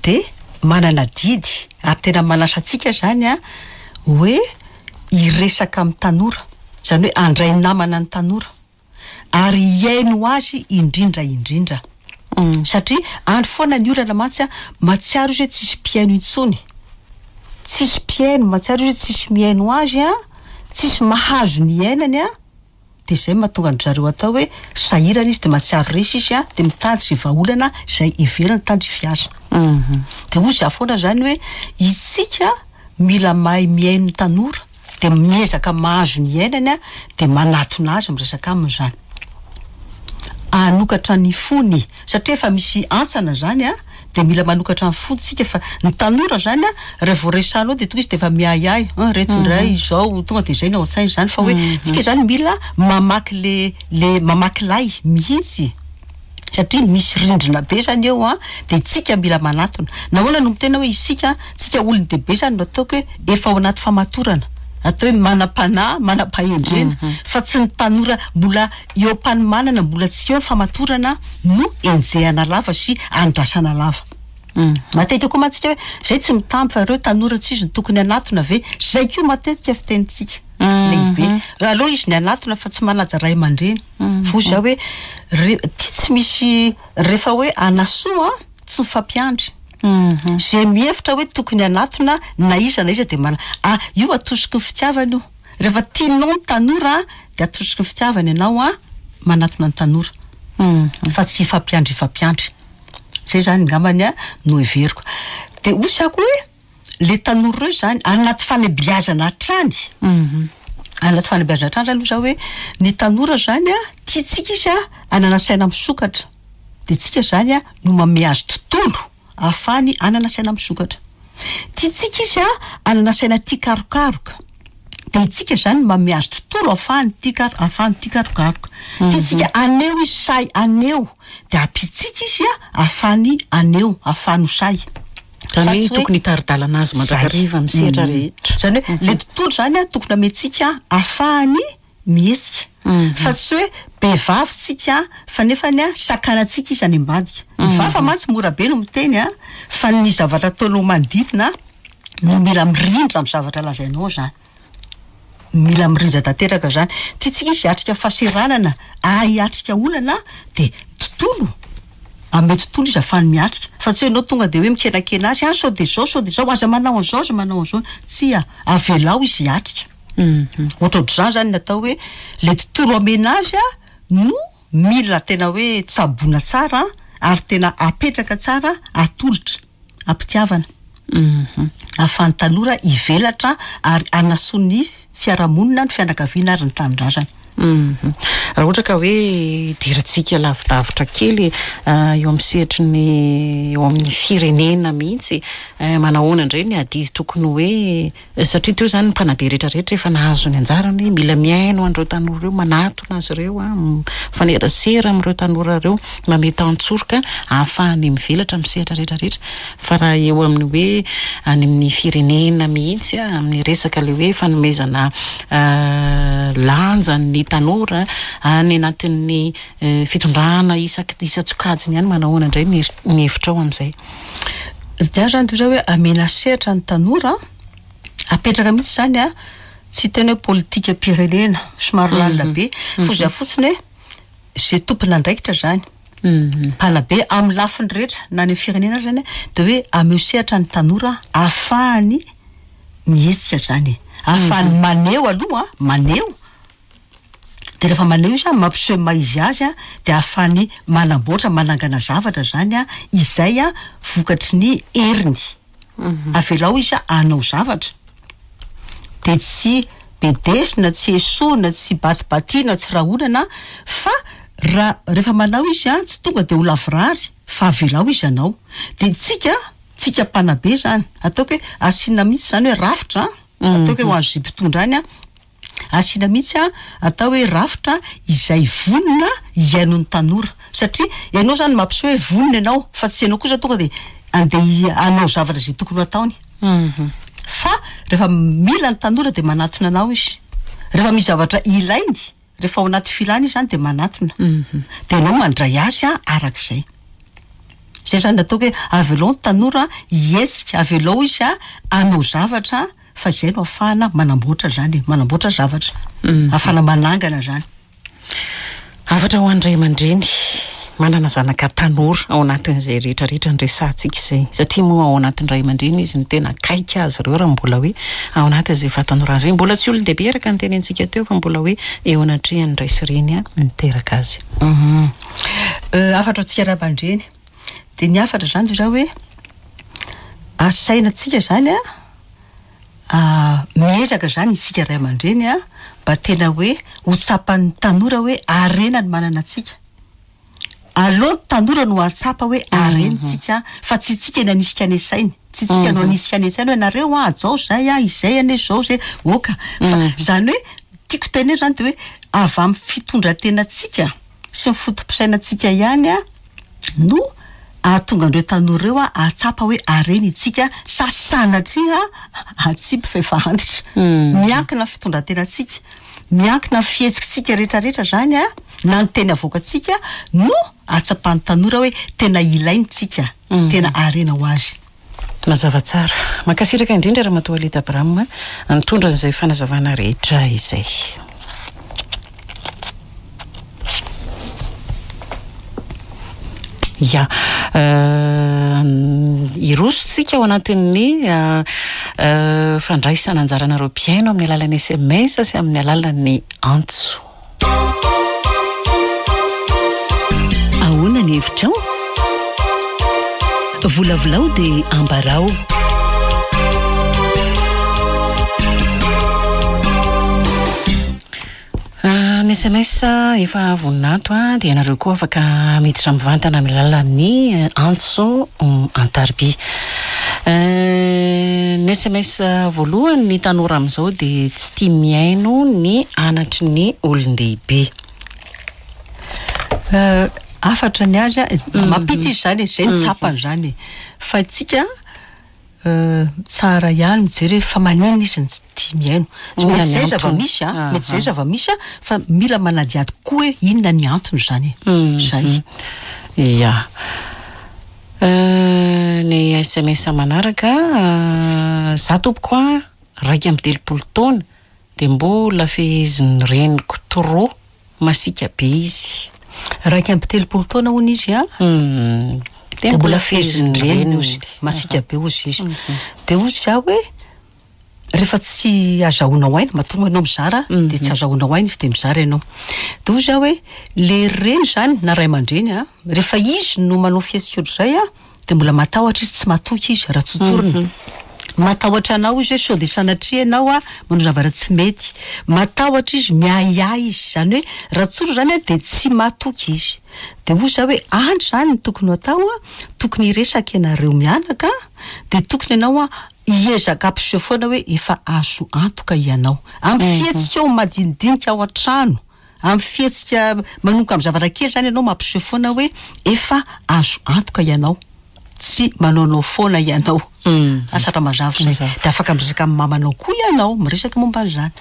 dia manana adidy ary tena manasa antsika izany an, hoe hiresaka amin'ny tanora, izany hoe handray namana ny tanora ary hihaino azy indrindra indrindra. Satria any foana ny olana mantsy an, mahatsiaro izy hoe tsisy mpihaino intsony, tsisy mpihaino, mahatsiaro izy hoe tsisy mihaino azy an, tsisy mahazo ny iainany an, Dia izay no mahatonga an-dry zareo atao hoe sahirana izy dia mahatsiaro resy izy an, dia mitady izay vahaolana izay heveriny tandrify azy. Dia hoy izaho foana izany hoe isika mila mahay mihaino ny tanora, dia miezaka mahazo ny iainany an, dia manatona azy miresaka aminy izany. Hanokatra ny fony, satria efa misy hantsana izany an, dia mila manokatra ny fontsika fa ny tanora zany a raha vao resahanao dia tonga izy dia efa miahiahy an reto indray izao tonga dia izay no ao an-tsainy zany fa hoe tsika zany mila mamaky le le mamaky lay mihitsy satria misy rindrina be zany eo an dia tsika mila manatona nahoana no miteny hoe isika tsika olon-dehibe zany no ataoko hoe efa ao anaty famatorana atao hoe manam-panahy manam-pahendrena fa tsy ny tanora mbola Eo am-panomanana mbola tsy eo ny famatorana no enjehana lava sy andrasana lava. Matetika koa mantsy tsika hoe zay tsy mitamby fa ireo tanora tsy izy no tokony hanatona ve? Zay koa matetika fitenintsika lehibe. Raha aleo izy ny hanatona fa tsy manaja ray aman-dreny. Fa hoy za hoe re ty tsy misy rehefa hoe hanasoa tsy mifampiandry. Zay mihevitra hoe tokony hanatona na iza na iza dia mana- ah io atosiky ny fitiavana io. Rehefa tianao ny tanora dia atosiky ny fitiavana ianao an, manatona ny tanora fa tsy hifampiandry hifampiandry. Zay zany angambany an no heveriko. Dia hoy za koa hoe le tanora ireo zany anaty fanabeazana hatrany, anaty fanabeazana hatrany zany hoy za hoe ny tanora zany an tiantsika izy an hanana saina misokatra, dia tsika zany an no manome azy tontolo ahafahany hanana saina misokatra. Tiantsika izy hanana saina tia karokaroka. Dia itsika izany no manome azy tontolo ahafahany tia kar- ahafahany tia karokaroka. Tiantsika haneho izy sahy haneho. Dia ampiantsika izy ahafahany haneho, ahafahany ho sahy. Izany hoe tokony hitari-dalana azy mandrakariva amin'ny sehatra rehetra. Izany hoe ilay tontolo izany an, tokony amentsika ahafahany mihetsika. Fa tsy hoe be vava tsika fa nefany an, sakanantsika izy any ambadika. Ny vava mantsy mora be no miteny an, fa ny zavatra ataonao manodidina no mila mirindra amin'ny zavatra lazainao izany. Mila mirindra tanteraka izany. Tiantsika izy hiatrika fahaseranana, hahay hiatrika olana dia tontolo, Amin'ny tontolo izy ahafahany miatrika, fa tsy hoe ianao tonga dia hoe mikenakena azy, ah sao dia izao, sao dia izao, aza manao an'izao, aza manao an'izao. Tsia, avelao izy hiatrika. Ohatrohatr'izany izany ny atao hoe ilay tontolo amena azy no mila tena hoe tsaboina tsara ary tena apetraka tsara, atolotra am-pitiavana. Ahafahan'ny tanora hivelatra ary hanasoa ny fiarahamonina, ny fianakaviana ary ny tanindrazana. Raha ohatra ka hoe hidirantsika lavidavitra kely eo amin'ny sehatry ny eo amin'ny firenena mihitsy, manahoana indray ny adidy tokony hoe Satria teo izany ny mpanabe rehetra rehetra efa nahazo ny anjarany hoe mila mihaino an'ireo tanora ireo, manatona azy ireo, mifanerasera amin'ireo tanora ireo, mamehy tantsoroka ahafahany mivelatra amin'ny sehatra rehetra rehetra. Fa raha eo amin'ny hoe any amin'ny firenena mihitsy, amin'ny resaka ilay hoe fanomezana lanja ny tanora any anatin'ny fitondrana isaky isan-tsokajiny ihany, manao ahoana indray ny hevitrao amin'izay? Ny ahy zany de hoe amena sehatra ny tanora, apetraka mihitsy zany an, tsy hiteny hoe politikam-pirenena, somary lalina be, fa zay fotsiny hoe zay tompon'andraikitra zany, mpanabe amin'ny lafiny rehetra na any amin'ny firenena ary zany an, de hoe ameo sehatra ny tanora ahafahany mihetsika zany e, ahafahany maneho aloha an, maneho. Dia rehefa maneho izy an, mampiseho ny maha izy azy an, dia ahafahany manamboatra, manangana zavatra izany an, izay an vokatry ny heriny. Avelao izy hanao zavatra. Dia tsy bedesina, tsy esoina, tsy batibatiana, tsy rahonana fa raha rehefa manao izy an, tsy tonga dia ho lavorary fa avelao izy hanao. Dia tsika, tsika mpanabe izany, ataoko hoe asiana mihitsy izany hoe rafitra an, ataoko hoe ho an'izay mpitondra any an, Asiana mihitsy atao hoe rafitra izay vonona hihaino ny tanora. Satria ianao izany mampiseho hoe vonona ianao fa tsy ianao kosa tonga dia andeha hanao zavatra izay tokony ho ataony. Fa rehefa mila ny tanora dia manatona anao izy. Rehefa misy zavatra ilainy, rehefa ao anaty filany izy izany dia manatona. Dia ianao mandray azy arak'izay. Izay izany no ataoko hoe avelao ny tanora hihetsika, avelao izy hanao zavatra. Fa izay no ahafahana manamboatra izany e, manamboatra zavatra, ahafahana manangana izany. Hafatra ho an'ny ray aman-dreny manana zanaka tanora ao anatin'izay rehetra rehetra niresahantsika izay, satria moa ao anatin'ny ray aman-dreny izy no tena akaiky azy ireo raha mbola hoe ao anatin'izay fahatanorana izay, mbola tsy olon-dehibe araka ny tenentsika teo fa mbola hoe eo anatrehan'ny ray sy reny niteraka azy. Hafatra ho antsika ray aman-dreny, dia ny hafatra izany dia izao hoe asaina antsika izany an, Miezaka izany isika ray aman-dreny mba tena hoe ho tsapan'ny tanora hoe harena ny manana antsika. Aleo ny tanora no hahatsapa hoe harena isika fa tsy isika ny hanisika any an-tsainy. Tsy isika no hanisika any an-tsainy hoe nareo an, hajao izay an, izay anie izao izay. Oka. Fa izany hoe tiako tenenina izany dia hoe avy amin'ny fitondran-tenantsika sy ny foto-pisainantsika ihany no hahatonga an'ireo tanora ireo hahatsapa hoe harena itsika sa sanatria hatsipy fa efa antitra. Miankina amin'ny fitondran-tenantsika, miankina amin'ny fihetsikitsika rehetrarehetra izany na ny teny avoakantsika no hahatsapan'ny tanora hoe tena ilainy tsika, tena harena ho azy. Mazava tsara. Mankasitraka indrindra Ramatoa Alida Abraham nitondra an'izay fanazavana rehetra izay. Ya. Hiroso tsika ao anatin'ny fandraisana anjaranareo mpihaino amin'ny alalan'ny sms sy amin'ny alalan'ny antso. Ahoana ny hevitrao? Volavolao dia ambarao. Ny sms efa vonona ato dia ianareo koa afaka miditra mivantana amin'ny alalan'ny antso an-tariby. Ny sms voalohany, ny tanora amin'izao dia tsy tia mihaino ny anatry ny olon-dehibe. Hafatra ny azy, mampita izy izany e, izay no tsapany izany e. Fa isika tsara ihany mijery hoe fa maninona izy no tsy tia mihaino. Mety izay zava-misy an, mety izay zava-misy an, fa mila manadihady koa hoe inona ny antony izany e. Izay. Ia. Ny sms manaraka, za tompoko a, 31 taona dia mbola fehezin'ny reniko trop. Masiaka be izy. 31 taona hono izy an, dia mbola fehezin'ny reniny hozy, masiaka be hozy izy. Dia hozy za hoe, rehefa tsy azahoanao aina, matoa moa ianao mizara dia tsy azahoanao aina izy dia mizara ianao. Dia hozy aho hoe, le reny izany na ray aman-dreny an, rehefa izy no manao fihetsika ohatr'izay an, Dia mbola matahotra izy, tsy matoky izy, raha tsotsorina. Matahotra anao izy hoe sao dia sanatria ianao manao zavatra tsy mety. Matahotra izy, miahiahy izy. Izany hoe raha tsorina izany dia tsy matoky izy. Dia hoy izaho hoe any izany no tokony ho atao, tokony hiresaka ianareo mianaka, dia tokony ianao hiezaka hampiseho foana hoe efa azo antoka ianao. Amin'ny fihetsikao madinidinika ao an-trano. Amin'ny fihetsika manomboka amin'ny zavatra kely izany ianao mampiseho foana hoe efa azo antoka ianao, tsy manaonao foana ianao. Asa raha mazava izay. Dia afaka miresaka amin'ny mamanao koa ianao, miresaka momba an'izany.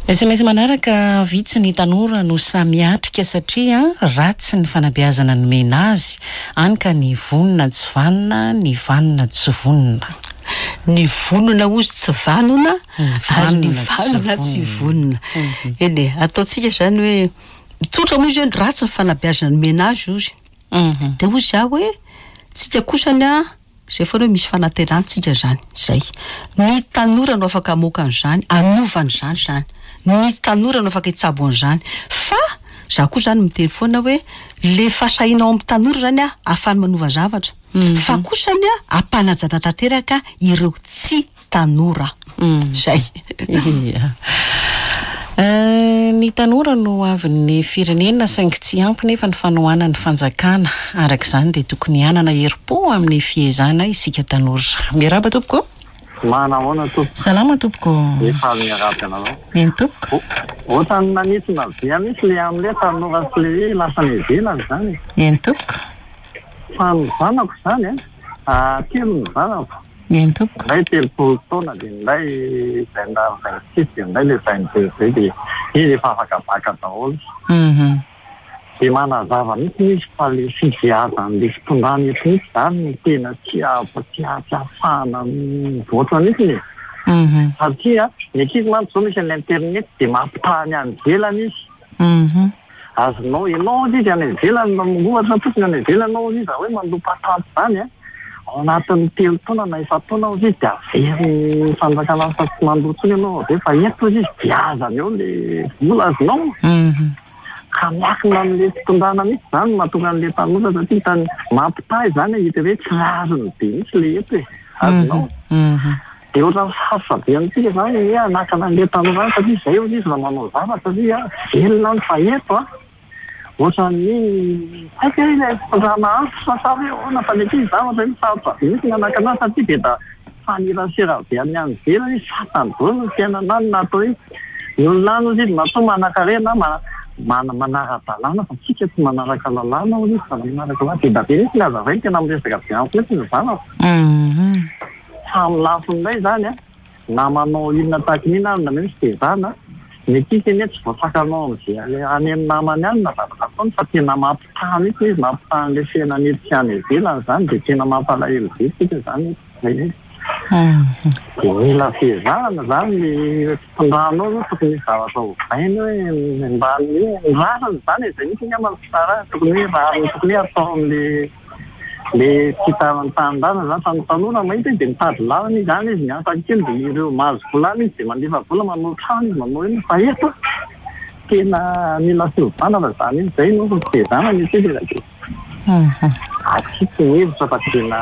Sms manaraka, Vitsy ny tanora no sahy miatrika satria ratsy ny fanabeazana nomena azy, any ka ny vonona tsy vanona, ny vanona tsy vonona. Ny vonona hozy tsy vanona ary ny vanona tsy vonona. Eny e, ataontsika izany hoe, tsotra moa izy hoe ratsy ny fanabeazana nomena azy hozy. Dia hoy izaho hoe, tsika kosany an, izay foana hoe misy fanantenana tsika izany, izay. Ny tanora no afaka hamoaka an'izany, hanova an'izany izany. Ny tanora no afaka hitsabo an'izany. Fa izaho koa izany miteny foana hoe, le fahasahiana ao amin'ny tanora izany an, ahafahany manova zavatra. Fa kosa anie ampanajana tanteraka ireo tsy tanora. Zay. Ia. Ny tanora no hoavin'ny firenena saingy tsy ampy nefa ny fanohanan'ny fanjakana. Araka izany dia tokony hanana herim-po amin'ny fiezahana isika tanora. Miarahaba tompoko. Manahoana tompoko. Salama tompoko. Efa miarahaba anareo. Eny tompoko. Ohatran'ny nanintona be mihitsy le amin'ilay tanora sy le hoe lasa any ivelany izany e. Eny tompoko. Fa ny zanako izany an, telo ny zanako. Eny tompoko. Ny iray 30 taona dia ny iray 26 dia ny iray ilay 22 izay dia izy efa afaka bacc daholo. Dia manazava mihitsy izy fa ilay fibeazan'ilay fitondrana eto mihitsy izany no tena tsy tsy ahafahana mivoatra mihitsy e. Satria ny ankizy mantsy izao misy an'ilay internet dia mampitaha ny any ivelany izy. Azonao ianao hozy izy any ivelany ohatra fotsiny any ivelany ianao hozy izy raha hoe mandoa patente izany an, ao anatin'ny telo taona na efa-taona hozy izy dia averin'ny fanjakana fa tsy mandoa intsony ianao avy eo fa eto hozy izy giazana eo ilay vola azonao. Ka miankina amin'ilay fitondrana mihitsy izany no mahatonga an'ilay tanora satria hitany mampitaha izany hita hoe tsy rariny be mihitsy ilay eto e. Azonao? Dia ohatran'ny sarotra be amintsika izany ny hoe hanakana an'ilay tanora any satria izay hozy izy raha manao zavatra satria velona any fa eto an, ohatran'ny tsy haiko hoe ilay fitondrana antitra sa hoe ahoana fa ny ankizy zavatra io sarotra be mihitsy ny hanakana azy satria dia da mifanerasera be amin'ny any ivelany izy, fantany daholo ny fiainana any na atao hoe ny olona any hozy izy matoa manankarena manara-dalàna fa tsika tsy manaraka lalàna hozy izy fa manaraka lalàna, be dia be mihitsy ny hazavainy tena miresaka be amiko mihitsy ny zanako. Fa amin'ny lafiny iray izany an, na manao inona tahaka ny inona ary na misy fitezana, ny ankizy anie tsy voasakanao amin'izay any amin'ny namany any na zavatra ataony fa tena mampitaha mihitsy ilay izy, mampitaha an'ilay fiainana eto sy any ivelany izany dia tena mampalahelo be isika izany eto. Izay mihitsy. Dia mila fiezahana izany ny fitondrana ao aloha, tokony hisy zavatra ovaina hoe mba ny hoe ny rariny izany e, izay mihitsy angamba no fitsarana, tokony hoe rariny tokony hoe atao amin'ilay Le tsy tanindrazana zany fa ny tanora mahita izy de mitady lalana izy any izy miasa kely de ireo mahazo vola any izy de mandefa vola manao trano izy manao inona fa eto tena mila fiovana fa zany izy zay no fitezana ny antsika de atsika ny hevitra fa tena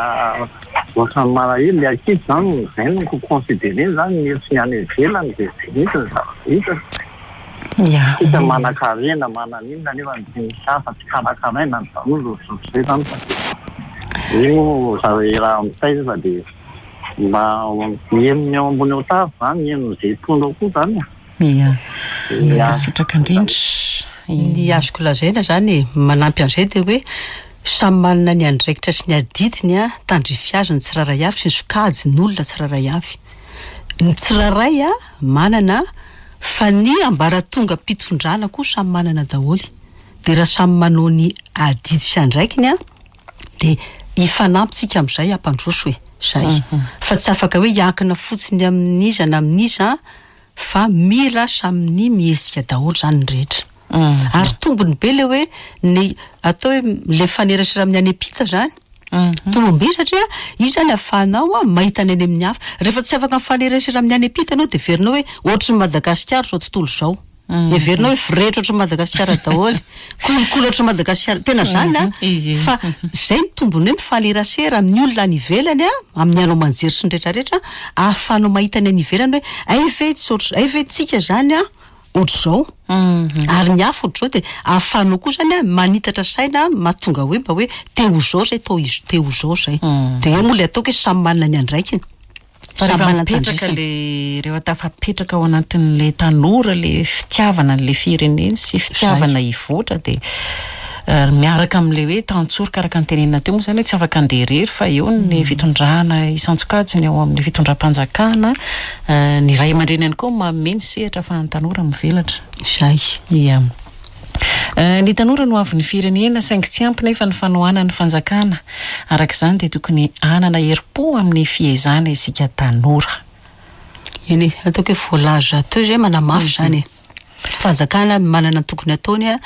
ohatran'ny malahelo le ankizy zany zay no considerena zany ny eto sy ny any ivelany de zay mihitsy ny zavatra hita. Tsika manankarena manan'inona nefa tsy misy hafa tsy karakaraina ny tanora ohatrohatr'izay zany fa tena Iny moa zareo raha mitaiza fa dia mba mihaino ny ao ambony ao tavy izany, mihaino izay mpitondra ao koa izany e. Ia. Mankasitraka indrindra. Ny azoko lazaina izany e, manampy an'izay dia hoe samy manana ny andraikitra sy ny adidiny tandrify azy ny tsirairay avy sy ny sokajin'olona tsirairay avy. Ny tsirairay manana fa ny ambaratongam-pitondrana koa samy manana daholo. Dia raha samy manao ny adidy sy andraikiny dia hifanampy tsika amin'izay hampandroso e. Zay. Fa tsy afaka hoe hiankina fotsiny amin'iza na amin'iza fa mila samy mihetsika daholo izany ny rehetra. Ary tombony be le hoe ny atao hoe le mifanerasera amin'ny any am-pita izany. Tombony be satria io izany ahafahanao mahita ny any amin'ny hafa. Rehefa tsy afaka mifanerasera amin'ny any am-pita ianao dia heverinao hoe ohatry ny Madagasikara izao tontolo izao. Heverina hoe voretra ohatran'i Madagasikara daholo, kolikoly ohatran'i Madagasikara, tena zany an, fa zay ny tombony hoe mifanerasera amin'ny olona any ivelany an, amin'ny haino aman-jery sy ny rehetra rehetra, ahafahanao mahita ny any ivelany hoe hay ve tsy ohatr', hay ve tsika zany an ohatr'izao, ary ny hafa ohatr'izao dia ahafahanao koa zany an manitatra saina mahatonga hoe mba hoe te ho zao zay toa izy te ho zao zay, dia eo moa le ataoko hoe samy manana ny andraikiny. Fa rehefa mipetraka le rehefa tafapetraka ao anatin'le tanora le fitiavana an'le fireneny sy fitiavana hivoatra dia miaraka amin'le hoe tantsoroka araka ny tenenina teo moa izany hoe tsy afaka handeha irery fa eo ny fitondrana isan-tsokajiny ao amin'ny fitondram-panjakana, ny ray aman-dreny ihany koa manome ny sehatra ahafahan'ny tanora mivelatra. Izay. Ia. Ny tanora no avin'ny firenena saingy tsy ampy nefa ny fanohanan'ny fanjakana. Araka izany dia tokony hanana herim-po amin'ny fiezahana isika tanora. Eny e, ataoko hoe voalaza teo izay manamafy izany e. Fanjakana manana ny tokony ataony,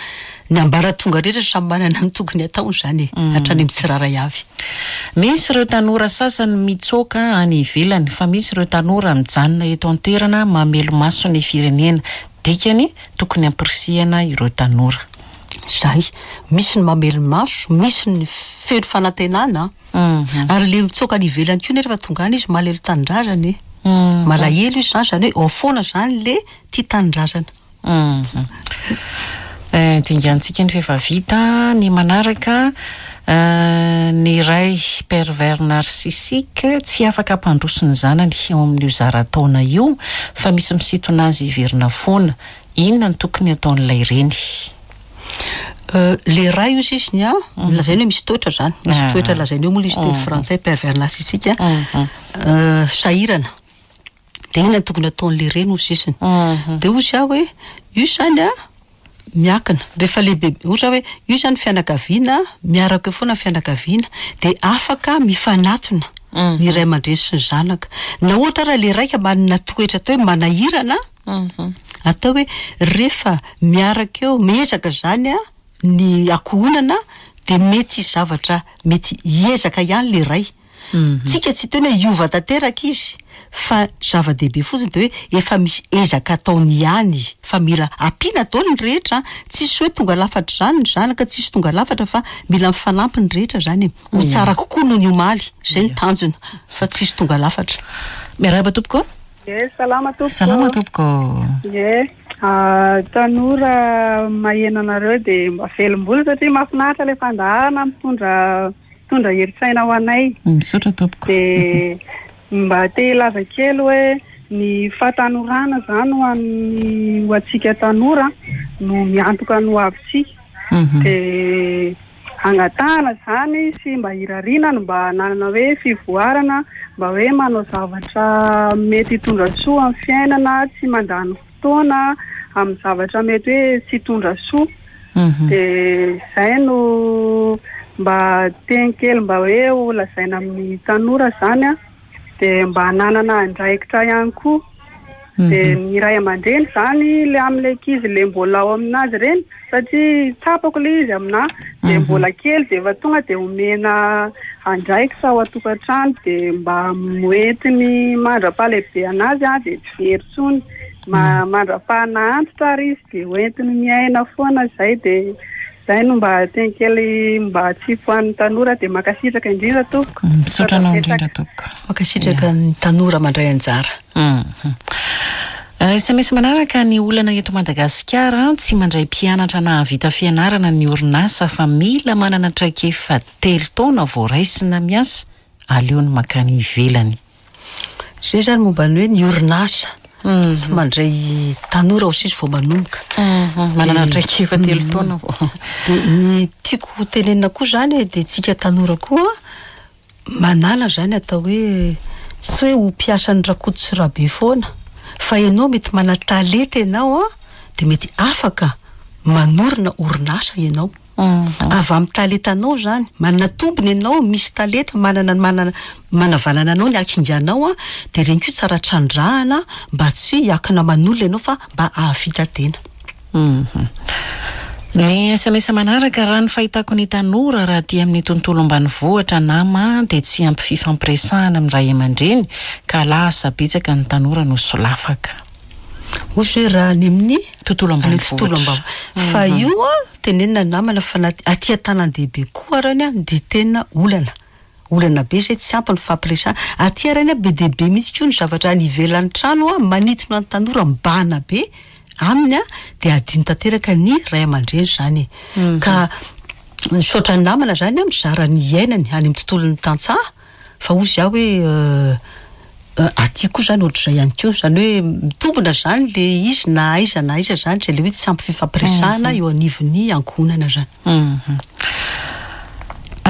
ny ambaratonga rehetra samy manana ny tokony ataony izany e, hatrany amin'ny tsirairay avy. Misy ireo tanora sasany mitsoaka any ivelany fa misy ireo tanora mijanona eto an-toerana mamelo-maso ny firenena. Dikany, tokony hampirisihana ireo tanora. Izay. Misy ny mamelo-maso, misy ny feno fanantenana an. Ary le mitsoaka any ivelany koa anie rehefa tonga any izy malahelo tanindrazana e. Malahelo izy izany, izany hoe ao foana izany le tia tanindrazana. Dingantsika ny f'efa vita ny manaraka. Ny ray pervers narcissique tsy afaka hampandroso ny zanany eo amin'io zara-taona io fa misy misintona azy hiverina foana. Inona no tokony hataon'ilay reny? Le ray hozy izy ny an, lazainy hoe misy toetra zany, misy toetra lazainy eo moa le izy teny frantsay pervers narcissique an, sahirana. De inona no tokony hataon'le reny hozy izy. De hozy aho hoe io zany an, miankina, rehefa lehibe, ohatra hoe io zany fianakaviana, miaraka eo foana ny fianakaviana, de afaka mifanatona ny ray aman-dreny sy ny zanaka. Na ohatra ara le raika manana toetra atao hoe manahirana, atao hoe rehefa miaraka eo, miezaka zany an ny ankohonana de mety hisy zavatra mety hiezaka ihany le ray. Tsika tsy hiteny hoe hiova tanteraka izy fa zava-dehibe fotsiny dia hoe efa misy ezaka ataony ihany fa mila ampiana daholo ny rehetra an! Tsisy hoe tonga lafatra izany ny zanaka, tsisy tonga lafatra fa mila mifanampy ny rehetra izany e! Ho tsara kokoa noho ny omaly, izay no tanjona fa tsisy tonga lafatra. Miarahaba tompoko. Ie, salama tompoko. Salama tompoko. Ie, tanora maheno anareo dia mba velom-bolo satria mahafinaritra ilay fandaharana mitondra Mitondra herin-tsaina ho anay. Misaotra tompoko. Dia mba te hilaza kely hoe ny fahatanorana izany ho an'ny ho antsika tanora no miantoka ny hoavintsika. Dia angatahana izany sy mba irariana ny mba hananana hoe fivoarana, mba hoe manao zavatra mety hitondra soa amin'ny fiainana, tsy mandany fotoana amin'ny zavatra mety hoe tsy hitondra soa. Dia izay no mba teny kely mba hoe ho lazaina amin'ny tanora izany an, dia mba hananana andraikitra ihany koa. Dia ny ray aman-dreny izany ilay amin'ilay ankizy ilay mbola ao aminazy ireny, satria tsapako ilay izy aminà, dia mbola kely dia efa tonga dia omena andraikitra ao an-tokantrano dia mba hoentiny mandra-pahalehibe an'azy an, dia tsy very intsony. Mandra-paha antitra ary izy dia hoentiny miaina foana izay dia izay no mba teny kely mba atsipy ho an'ny tanora dia mankasitraka indrindra tompoko. Misaotra anao indrindra tompoko. Mankasitraka ny tanora mandray anjara. Sms manaraka, ny olana eto Madagasikara, tsy mandray mpianatra nahavita fianarana ny orinasa fa mila manana traikefa telo taona vao raisina miasa, aleony mankany ivelany. Izay izany momba ny hoe ny orinasa tsy mandray tanora ho sisa vao manomboka. Manana traikefa telo taona vao. Dia ny tiako ho tenenina koa izany e, dia tsika tanora koa manala izany atao hoe tsy hoe ho mpiasan'ny Rakoto sy Rabe foana fa ianao mety mana-talenta ianao an, dia mety afaka manorina orinasa ianao. Avy amin'ny talentanao izany, manana tombony ianao, misy talenta, manana manana manavanana anao ny hakinganao an, dia ireny koa tsara trandrahana mba tsy hiankina aman'olona ianao fa mba hahavita tena. Ny sms manaraka, raha ny fahitako ny tanora raha aty amin'ny tontolo ambanivohitra nama dia tsy ampy fifampiresahana amin'ny ray aman-dreny ka lasa betsaka ny tanora no solafaka. Ohatra hoe raha any amin'ny tontolo ambanivohitra. Fa io an, tenenina namana fa na aty an-tanàn-dehibe koa arany an dia tena olana. Olana be izay tsy ampy ny fampiresahana. Aty arany an be dia be mihitsy koa ny zavatra any ivelan'ny trano an, manintona ny tanora mibahana be aminy an, dia adino tanteraka ny ray aman-dreny izany e. Ka misaotra ny namana izany an, mizara ny iainany any amin'ny tontolon'ny tantsaha, fa hozy aho hoe aty koa izany ohatr'izay ihany koa. Izany hoe mitombina izany ilay izy na aiza na aiza izany, izay ilay hoe tsy ampy fifampiresahana eo anivon'ny ankohonana izany.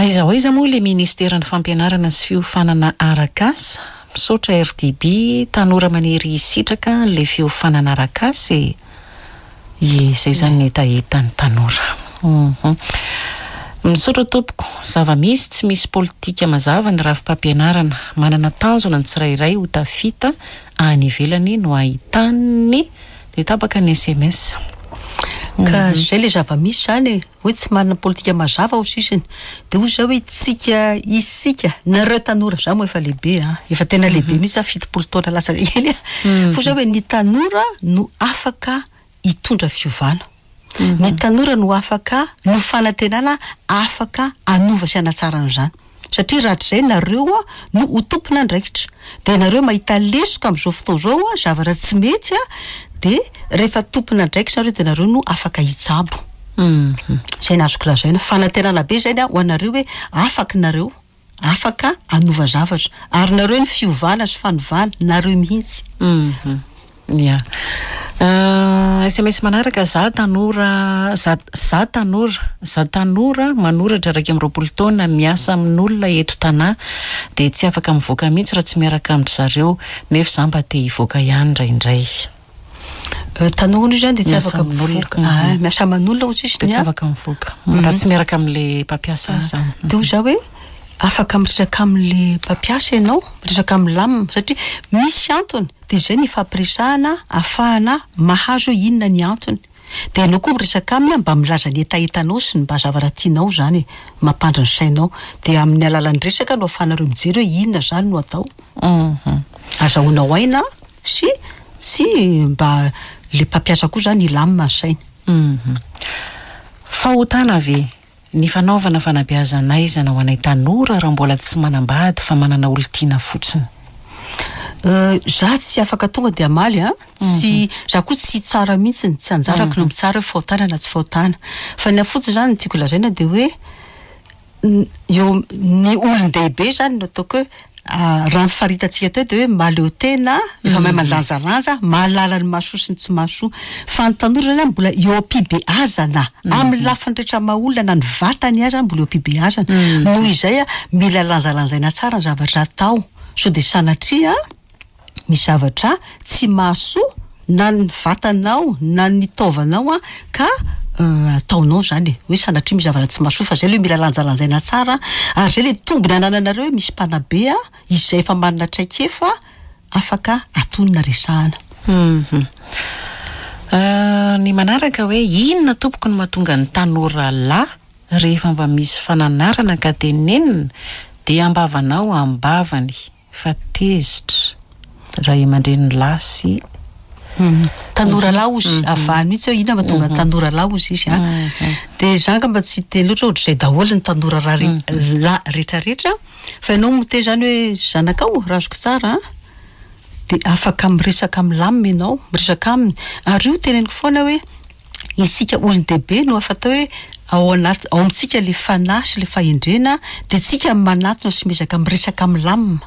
Aiza ho aiza moa ilay ministeran'ny fampianarana sy fiofanana arak'asa? Misaotra RDB, tanora maniry hisitraka an'ilay fiofanana arak'asa e! Ie, izay izany ny hetahetan'ny tanora. Misaotra tompoko. Zava-misy, tsy misy politika mazava ny rafi-pampianarana. Manana tanjona ny tsirairay ho tafita any ivelany no ahitany Dia tapaka ny sms. Ka zay le zava-misy zany e, hoe tsy manana politika mazava ao sisiny. De hoy zah hoe tsika, isika, nareo tanora, zah moa efa lehibe an, efa tena lehibe mihitsy zah, 70 taona latsaka kely an, fa hoy zah hoe ny tanora no afaka hitondra fiovana. Ny tanora no afaka, no fanantenana afaka hanova sy hanatsara an'izany. Satria rahatrizay nareo no ho tompon'andraikitra. Dia nareo mahita lesoka amin'izao fotoana izao, zavatra tsy mety, dia rehefa tompon'andraikitra nareo dia nareo no afaka hitsabo. Izay no azoko lazaina. Fanantenana be izay ho anareo hoe afaka nareo, afaka hanova zavatra. Ary nareo ny fiovana sy fanovana, nareo mihitsy. Ya. Sms manaraka, za tanora, za, za tanora, za tanora manoratra 21 taona miasa amin'olona eto Tanà dia tsy afaka mivoaka mihitsy raha tsy miaraka amin-dry zareo nefa za mba te hivoaka ihany indraindray. Tanora io zany dia tsy afaka mivoaka. Ah, miasa aman'olona hozy izy Dia tsy afaka mivoaka raha tsy miaraka amin'le mpampiasa azy zany. Dia hoy za hoe afaka miresaka amin'le mpampiasa ianao, miresaka milamina satria misy antony. Dia izay ny ifampiresahana ahafahana mahazo hoe inona ny antony. Dia ianao koa miresaka aminy mba milaza ny hetahetanao sy ny mba zavatra tianao izany e, mampandry ny sainao. Dia amin'ny alalan'ny resaka no ahafahanareo mijery hoe inona izany no atao. Azahoanao aina sy tsy mba ilay mpampiasa koa izany hilamina ny sainy. Fahotana ve Ny fanaovana fanabeazan'aizana ho anay tanora raha mbola tsy manambady fa manana olon-tiana fotsiny. Za tsy afaka tonga dia hamaly an, tsy, za koa tsy hitsara mihitsiny, tsy anjarako no mitsara hoe fahotana na tsy fahotana. Fa ny ahy fotsiny zany ny tiako lazaina dia hoe eo ny olon-dehibe zany no ataoko hoe Raha ny faritantsika teo dia hoe mahaleo tena, efa mahay mandanjalanja, mahalala ny mahasoa sy ny tsy mahasoa. Fa ny tanora izany an, mbola eo am-pibeazana, amin'ny lafiny rehetra maha olona na ny vatany aza mbola eo am-pibeazana. Noho izay an, mila lanjalanjaina tsara ny zavatra atao, sao dia sanatria misy zavatra tsy mahasoa na ny vatanao na ny taovanao an, ka ataonao izany e, hoe sanatria misy zavatra tsy mahasoa fa izay aloha mila lanjalanjaina tsara ary izay ilay tombony anananareo hoe misy mpanabe an, izay efa manana traikefa afaka atonina resahana. Hum. Ny manaraka hoe inona tompoko no mahatonga ny tanora lahy rehefa mba misy fananarana ka tenenina dia ambavanao ambavany. Fa tezitra ray aman-dreny lahy sy. Tanora lahy ozy, avahany mihitsy hoe inona mahatonga ny tanora lahy ozy izy an. Dia za angamba tsy hiteny loatra hoe ohatr'izay daholo ny tanora lahy rehetrarehetra, fa ianao miteny izany hoe zanakao raha azoko tsara an. Dia afaka miresaka milamina ianao, miresaka aminy. Ary io teneniko foana hoe isika olon-dehibe no afa atao hoe ao anaty, ao amintsika ilay fanahy sy ilay fahendrena, dia tsika manatona sy miezaka miresaka milamina.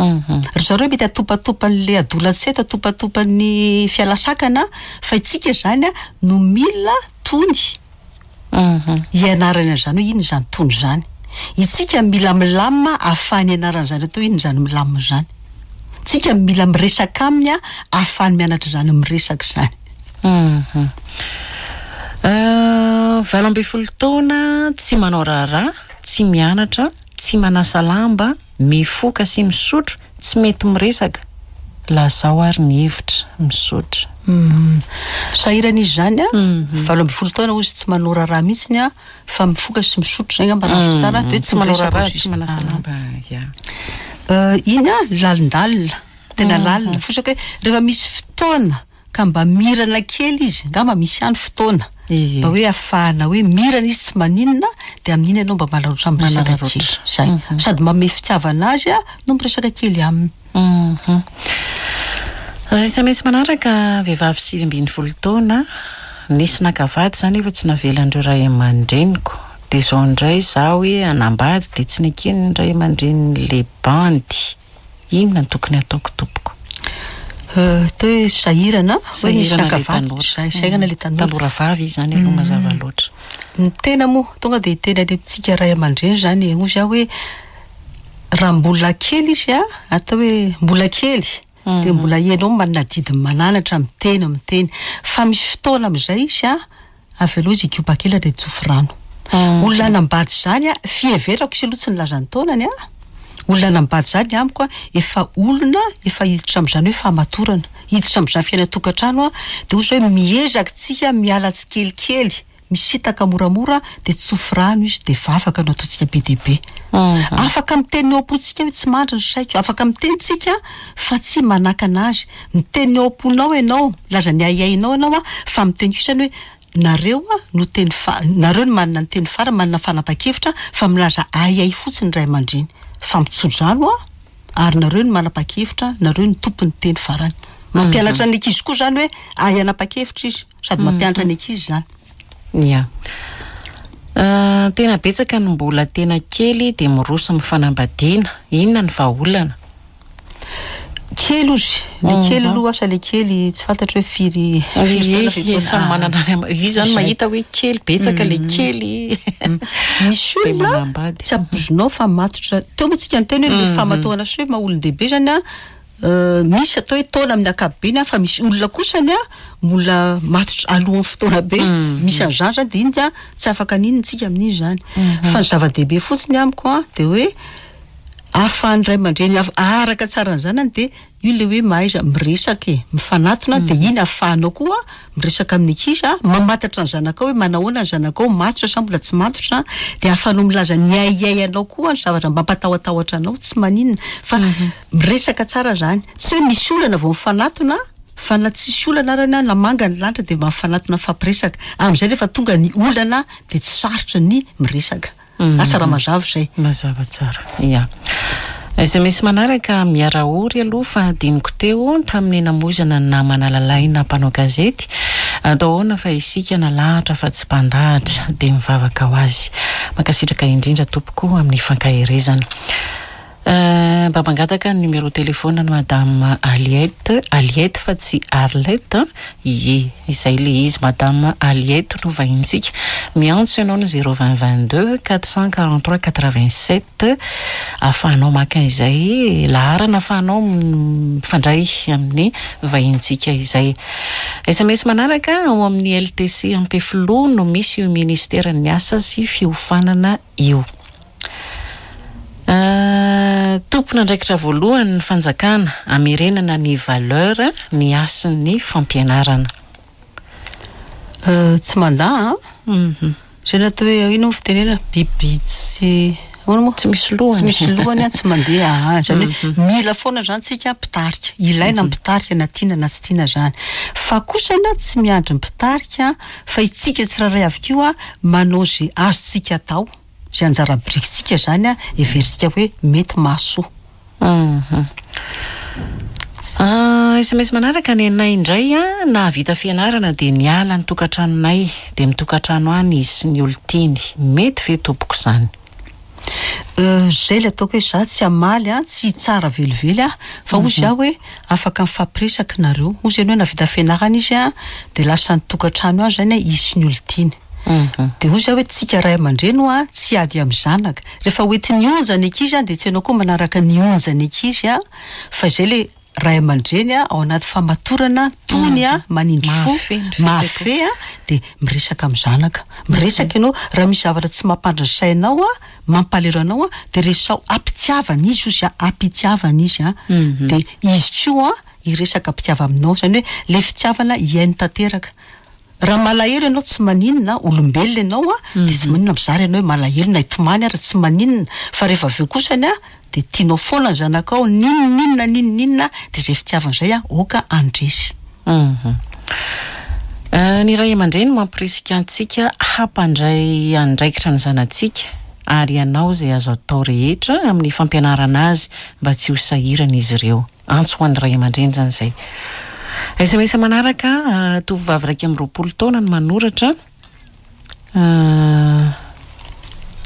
Ry zareo mety atopatopan'ilay adolantsento, atopatopan'ny fialasakana, fa itsika izany no mila tony hianarana an'izany hoe inona izany tony izany. Itsika mila milamina ahafahany hianarana izany atao hoe inona izany milamina izany. Tsika mila miresaka aminy ahafahany mianatra izany miresaka izany. 18 taona, tsy manao raharaha, tsy mianatra, tsy manasa lamba, Mifoka sy misotro, tsy mety miresaka. Lazao ary ny hevitra, misaotra. Sahirana izy izany an, 18 taona hozy tsy manao raharaha mihitsiny an, fa mifoka sy misotro izay angamba raha azoko tsara, dia hoe tsy manao miresaka raharaha, hozy tsy izy. manasa lamba, ya. Iny an, lalindalina, tena lalina, fosaka hoe rehefa misy fotoana Ka mba mirana kely izy, angamba misy ihany fotoana mba hoe ahafahana hoe mirana izy tsy maninona dia amin'iny ianao mba manararaotra miresaka kely. Zay. Sady manome fitiavana azy no miresaka kely aminy. Sms manaraka, vehivavy 19 taona, nisy naka vady za nefa tsy navelan'ireo ray aman-dreniko, dia izao indray za hoe hanambady dia tsy neken'ny ray aman-drenin'le bandy. Inona no tokony hataoko tompoko? Atao hoe sahirana, hoe nisy Sahirana naka ilay vady, tanora. zay- sahirana ilay tanora. Tanora vavy izy izany aloha mazava loatra. Ny tena moa, tonga dia hiteny any amintsika ray aman-dreny izany e, hoy aho hoe raha mbola kely izy a, atao hoe mbola kely, dia mbola ianao manana adidy mananatra, miteny, miteny. Fa misy fotoana amin'izay izy a, Avelao izy hikopa kely ary tsofy rano. Olona hanambady izany a, fiheverako izy aloha tsy nilaza ny taonany a, olona hanambady izany amiko a, efa olona efa hiditra amin'izany hoe fahamatorana, hiditra amin'izany fiainan-tokantrano a, dia hoy izy hoe miezaka tsika miala tsikelikely, misintaka moramora dia tsofy rano izy dia vavaka no ataontsika be dia be. Afaka miteny ny ao am-pontsika hoe tsy mandry ny saiko, afaka miteny tsika fa tsy manakana azy. Miteny ny ao am-ponao ianao, milaza ny ahiahinao ianao an, fa miteny kosa ny hoe nareo no teny fa, nareo no manana ny teny farany, manana fanapahan-kevitra, fa milaza ahiahy fotsiny ny ray aman-dreny. Fa mitso-drano an, ary nareo no manapa-kevitra, nareo no tompon'ny teny farany. Mampianatra ny ankizy koa izany hoe ahay hanapa-kevitra izy, sady mampianatra ny ankizy izany. Ya. Tena betsaka ny mbola tena kely dia miroso amin'ny fanambadiana. Inona ny vahaolana? Kely ozy, le kely aloha asa le kely tsy fantatro hoe firy firy taona Ie, ve samy manana ny ama- izy zany mahita hoe kely betsaka le kely. Misy Dia olona manambady. tsy ampoizinao fa matotra. Teo moa tsika niteny hoe le fahamatoana sy hoe maha olon-dehibe zany an, misy atao hoe taona amin'ny ankapobeny an, fa misy olona kosany an mbola matotra alohan'ny fotoana be. Misy an'izany zany dia iny an tsy afaka n'inona tsika amin'iny zany. Fa ny zava-dehibe fotsiny amiko an dia hoe Ahafahan'ny ray aman-dreny araka tsara ny zanany dia io ilay hoe mahaiza miresaka e, mifanatona dia iny ahafahanao koa miresaka amin'ny ankizy a, mamantatra ny zanakao hoe manahoana ny zanakao, matotra sa mbola tsy matotra, dia ahafahanao milaza ny ahiahianao koa, ny zavatra mampatahotahotra anao, tsy maninona fa miresaka tsara zany, tsy hoe misy olana vao mifanatona fa na tsisy olana arany na manga ny lanitra dia mba mifanatona mifampiresaka, amin'izay rehefa tonga ny olana dia tsy sarotra ny miresaka. Asa raha mazava izay. Mazava tsara. Ya. Sms manaraka, miara-ory aloha fa adinoko teo tamin'ny namoizana ny namana Lalaina mpanao gazety. Atao ahoana fa isika nalahatra fa tsy mpandahatra. Dia mivavaka ho azy. Mankasitraka indrindra tompoko amin'ny fankaherezana. Mba mangataka ny numéro téléphone an'i madame Aliette, Aliette fa tsy Arlette an, ie izay le izy madame Aliette no vahintsika, miantso ianao ny zéro vingt 22 443 87 ahafahanao maka izay laharana ahafahanao mifandray amin'ny vahintsika izay. Sms manaraka, ao amin'ny LTC Ampefiloha no misy io ministeran'ny asa sy fiofanana io. Tompon'andraikitra voalohany ny fanjakana hamerenana ny valeur ny hasin'ny fampianarana. Tsy mandà an! Izay no atao hoe inona moa fitenenana? Biby tsy ahoana moa? Tsy misy lohany. Tsy misy lohany an, tsy mandeha an! Izany hoe mila foana izany tsika mpitarika. Ilaina ny mpitarika na tiana na tsy tiana izany. Fa kosa na tsy miandry ny mpitarika fa itsika tsirairay avy koa manao izay azontsika atao. Izay anjara birikintsika izany heverintsika hoe mety mahasoa. Sms manaraka, Nenay indray a, nahavita fianarana dia niala ny tokantranonay dia mitokantrano any izy sy ny olon-tiany. Mety ve tompoko izany? Izay ilay ataoko hoe za tsy hamaly an, tsy hitsara velively aho, fa hozy aho hoe afaka mifampiresaka nareo. Hozy ianao hoe nahavita fianarana izy an, dia lasa nitokantrano any izany izy sy ny olon-tiany. Dia hozy aho hoe tsika ray aman-dreny hoa tsy hiady amin'ny zanaka. Rehefa hoentin'ny onja ny ankizy an, dia tsy ianao koa manaraka ny onja ny ankizy an, fa izay ilay ray aman-dreny ao anaty famatorana, tony, manindry fo, mahafehy dia miresaka amin'ny zanaka. Miresaka ianao, raha misy zavatra tsy mampandry ny sainao, mampalahelo anao dia resaho am-pitiavana izy ozy a, am-pitiavana izy an, dia izy koa hiresaka am-pitiavana aminao, izany hoe ilay fitiavana hihaino tanteraka. Raha malahelo ianao tsy maninona, olombelona ianao a, dia tsy maninona mizara ianao hoe malahelo na hitomany ary tsy maninona, fa rehefa avy eo kosany a, dia tianao foana ny zanakao, n'inon'inona n'inon'inona, dia izay fitiavana izay a, aoka handresy. Ny ray aman-dreny mampirisika antsika hampandray andraikitra ny zanatsika ary hanao izay azo atao rehetra amin'ny fampianarana azy mba tsy ho sahirana izy ireo. Antso ho an'ny ray aman-dreny izany izay. Sms manaraka, tovovavy 21 taona no manoratra.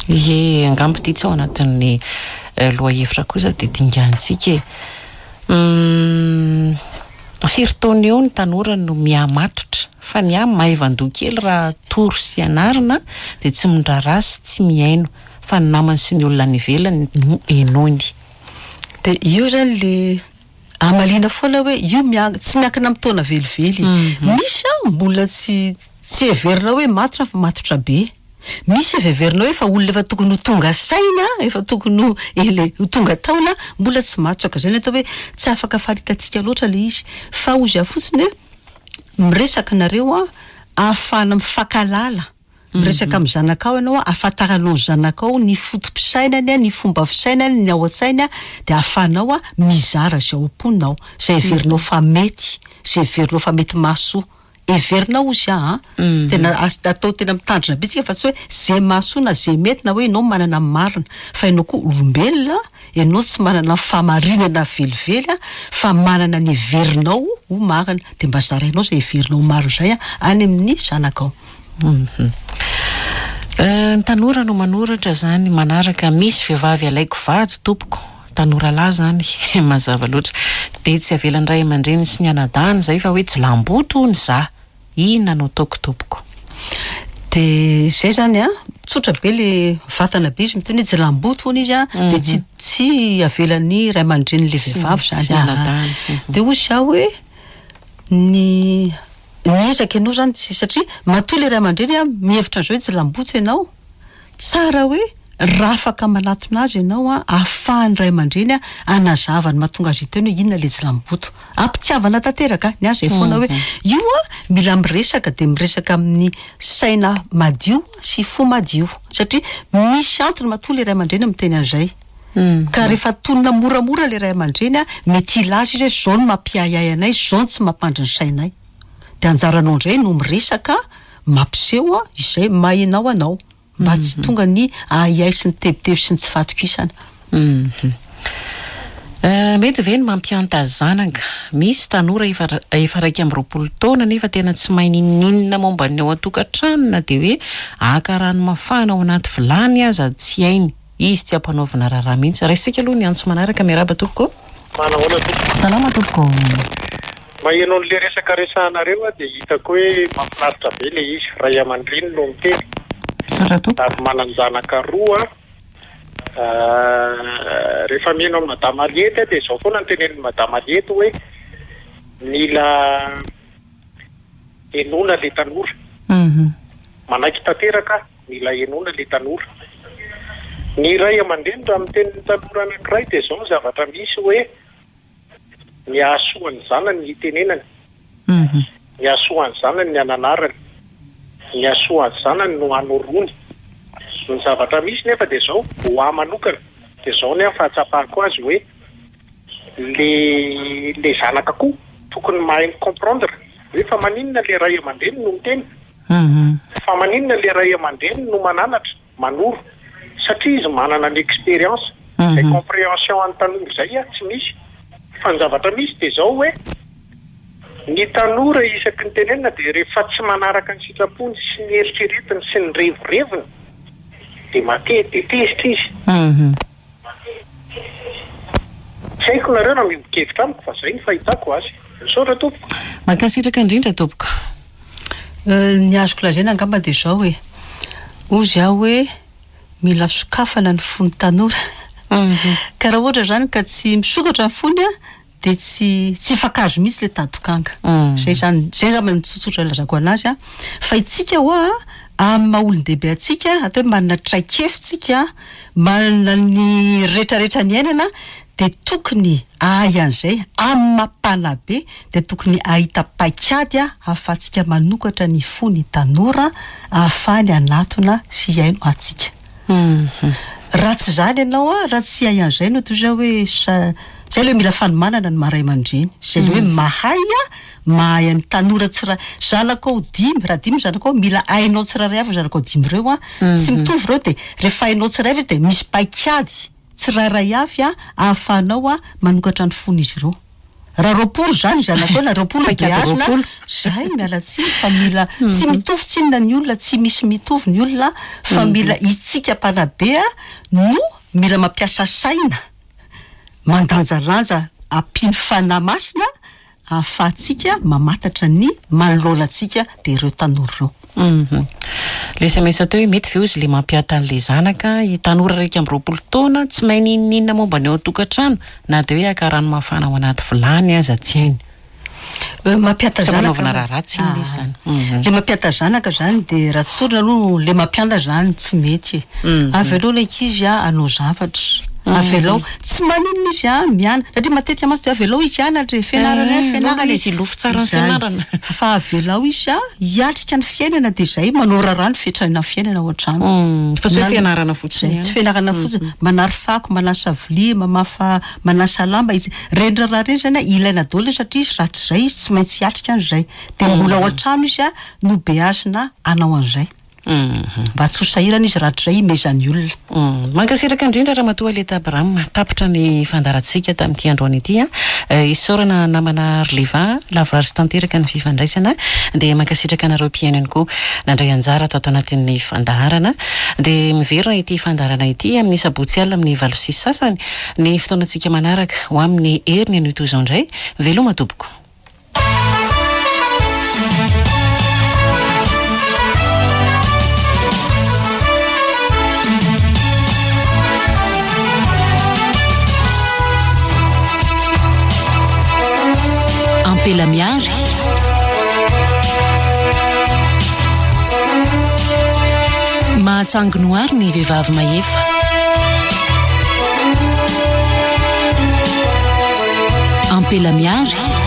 Ie, angamba ity tsy ao anatin'ny lohahevitra kosa dia dingantsika e. Firy taona eo ny tanora no mihamatotra fa ny ahy maivan-doha kely raha atoro sy anarina dia tsy mindraharaha sy tsy mihaino fa ny namany sy ny olona any ivelany no henoiny. Dia io zany le hamaliana foana hoe io mian- tsy miankina amin'ny taona velively. Misy an mbola tsy tsy heverina hoe matotra fa matotra be. Misy efa heverina hoe efa olona efa tokony ho tonga saina, efa tokony ho ele ho tonga taona, mbola tsy matotra. Ka zay no atao hoe tsy afaka faritantsika loatra le izy. Fa hozy aho fotsiny hoe miresaka nareo an ahafahana mifankahalala. Miresaka amin'ny zanakao ianao, ahafantaranao ny zanakao ny foto-pisainany, ny fomba fisainany, ny ao an-tsainy, dia ahafahanao mizara izay ao am-ponao, izay heverinao fa mety, izay heverinao fa mety mahasoa. Heverinao hozy aho an! Tena as- atao tena mitandrina be tsika fa tsy hoe izay mahasoa na izay mety na hoe ianao manana ny marina, fa ianao koa olombelona, ianao tsy manana ny fahamarinana velively fa manana ny heverinao ho marina, dia mba zarainao izay heverinao ho marina izay any amin'ny zanakao. Ny tanora no manoratra zany manaraka misy vehivavy alaiko vady tompoko tanora lahy zany mazava loatra dia tsy avelan'ny ray aman-dreny sy ny anadahiny zay fa hoe jilamboto hono za inona no ataoko tompoko. Dia zay zany an, tsotra be le vatana be izy miteny hoe jilamboto hono izy an, dia tsy tsy avelan'ny ray aman-drenin'le vehivavy zany an. Dia hoy zaho hoe ny Miezaka ianao zany tsy satria matoa le ray aman-dreny a mihevitra an'izao hoe tsy lamboto ianao, tsara hoe raha afaka manatona azy ianao a ahafahan'ny ray aman-dreny a hanazava ny mahatonga azy hiteny hoe inona le tsy lamboto. Am-pitiavana tanteraka, ny ahy zay foana hoe io a mila miresaka de miresaka amin'ny saina madio sy fo madio satria misy antony matoa le ray aman-dreny miteny an'izay. Ka rehefa tonina moramora ilay ray aman-dreny a, mety hilaza izy hoe zao no mampiahiahy anay, zao no tsy mampandry ny sainay. Dia anjaranao indray no miresaka, mampiseho izay maha ianao anao, mba tsy tonga ny ahiahy sy ny tebiteby sy ny tsy fahatokisana. Mety ve ny mampihanta zanaka? Misy tanora efa efa 21 taona nefa tena tsy mahay n'inon'inona momba ny ao an-tokantrano na dia hoe haka rano mafana ao anaty vilany aza tsy hainy. Izy tsy ampanaovina raharaha mihitsy. Raisintsika aloha ny antso manaraka. Miarahaba tompoko. Manahoana tompoko. Salama tompoko. Maheno an'le resaka resahanareo aho dia hitako hoe mahafinaritra be le izy. Ray aman-dreny no miteny. Misaotra tompoko. Ary manan-janaka roa aho. Rehefa miheno an'i Madame Aliette aho dia izao foana no tenenin'i Madame Aliette hoe mila henoina le tanora. Manaiky tanteraka aho. Mila henoina le tanora. Ny ray aman-dreny raha miteny ny tanora anankiray dia izao ny zavatra misy hoe ny hahasoa ny zanany ny hitenenany, ny hahasoa ny zanany ny hananarany, ny hahasoa ny zanany no hanoroany. Ny zavatra misy nefa dia izao, ho ahy manokana dia izao ny ahy fahatsapako azy hoe le le zanaka koa tokony mahay mi-comprendre hoe fa maninona le ray aman-dreny no miteny. Fa maninona le ray aman-dreny no mananatra, manoro? Satria izy manana ny expérience. Izay comprehension an'ny tanora izay tsy misy. Fa ny zavatra misy dia izao hoe, ny tanora isaky ny tenenina dia rehefa tsy manaraka ny sitrapony sy ny eritreretiny sy ny revireviny dia mate dia tezitra izy. Tsy haiko nareo raha miombon-kevitra amiko fa izay ny fahitako azy. Misaotra tompoko. Mankasitraka indrindra tompoko. Ny azoko lazaina angamba dia izao e, hozy aho hoe mila sokafana ny fon'ny tanora. Ka raha ohatra izany ka tsy misokatra ny fony an, dia tsy tsy hifankahazo mihitsy ilay tadokanga. Izay izany, izay angamba no tsotsotra ilazako anazy an. Fa itsika hoa amin'ny maha olon-dehibe antsika, atao hoe manana traikefa tsika, manana ny retraretra niainana dia tokony hahay an'izay, amin'ny maha mpanabe dia tokony hahita paikady ahafahantsika manokatra ny fon'ny tanora ahafahany hanatona sy hihaino antsika. Raha tsy izany ianao an, raha tsy hahay an'izay ianao toy izao hoe sa, izay ilay hoe mila fanomanana ny maha ray aman-dreny, izay ilay hoe mahay an, mahay an'ny tanora tsira, zanakao dimy, raha dimy ny zanakao, mila hainao tsirairay avy ny zanakao dimy ireo an, tsy mitovy ireo dia rehefa hainao tsirairay avy izy dia misy paikady tsirairay avy an ahafahanao manokatra ny fon'izy ireo. Raha 20 izany zanakao na 20 no beazina, zay miala tsiny fa mila tsy mitovy tsinona ny olona, tsy misy mitovy ny olona fa mila itsika mpanabe no mila mampiasa saina, mandanjalanja ampiany fanahy masina ahafahantsika mamantatra ny manoloana antsika dia ireo tanora ireo. Le sms teo hoe mety ve ozy le mampiata an'le zanaka tanora 21 taona tsy mahay n'inon'inona momba ny ao an-tokantrano na dia hoe haka rano mafana ao anaty vilany aza tsy hainy. Mampiata Tsy zanaka ampanaovina raharaha tsy inona izy zany. Le mampiata zanaka zany de raha tsorina aloha le mampianda zany tsy mety e. Avelao ny ankizy a hanao zavatra. Avelao, tsy maninona izy a miana satria matetika mantsy de avelao izy hianatra e, fianarana ihany fianarana e. Izy hilofo tsara ny Zay. fianarana. Fa avelao izy a hiatrika ny fiainana de zay manao raharaha ny fiatrana fiainana ao an-trano. Fa tsy hoe fianarana fotsiny Zay, ihany. tsy fianarana fotsiny, manary fako, manasa vilia, mamafa, manasa lamba izy. Ireny raharaha ireny zany a ilaina daholo satria izy raha tsy izay izy tsy maintsy hiatrika an'izay. Dia mbola ao an-trano izy a no beazina hanao an'izay. Mba tsy ho sahirana izy rahatrizay himezan'ny olona. Mankasitraka indrindra Ramatoa Aleta Abraham. Tapitra ny fandaharantsika tamin'ity androany ity. Isaorana namana Rleva, lavorary sy tanteraka ny fifandraisana. Dia mankasitraka anareo mpihaino ihany koa nandray anjara tato anatin'ny fandaharana. Dia miverina ity fandaharana ity amin'ny sabotsy alina amin'ny 8:30 ny fotoanantsika manaraka. Ho amin'ny heriny anio toy izao indray. Veloma tompoko. Ampela Miary. Mahatsangy noary ny vehivavy mahefa. Ampela Miary.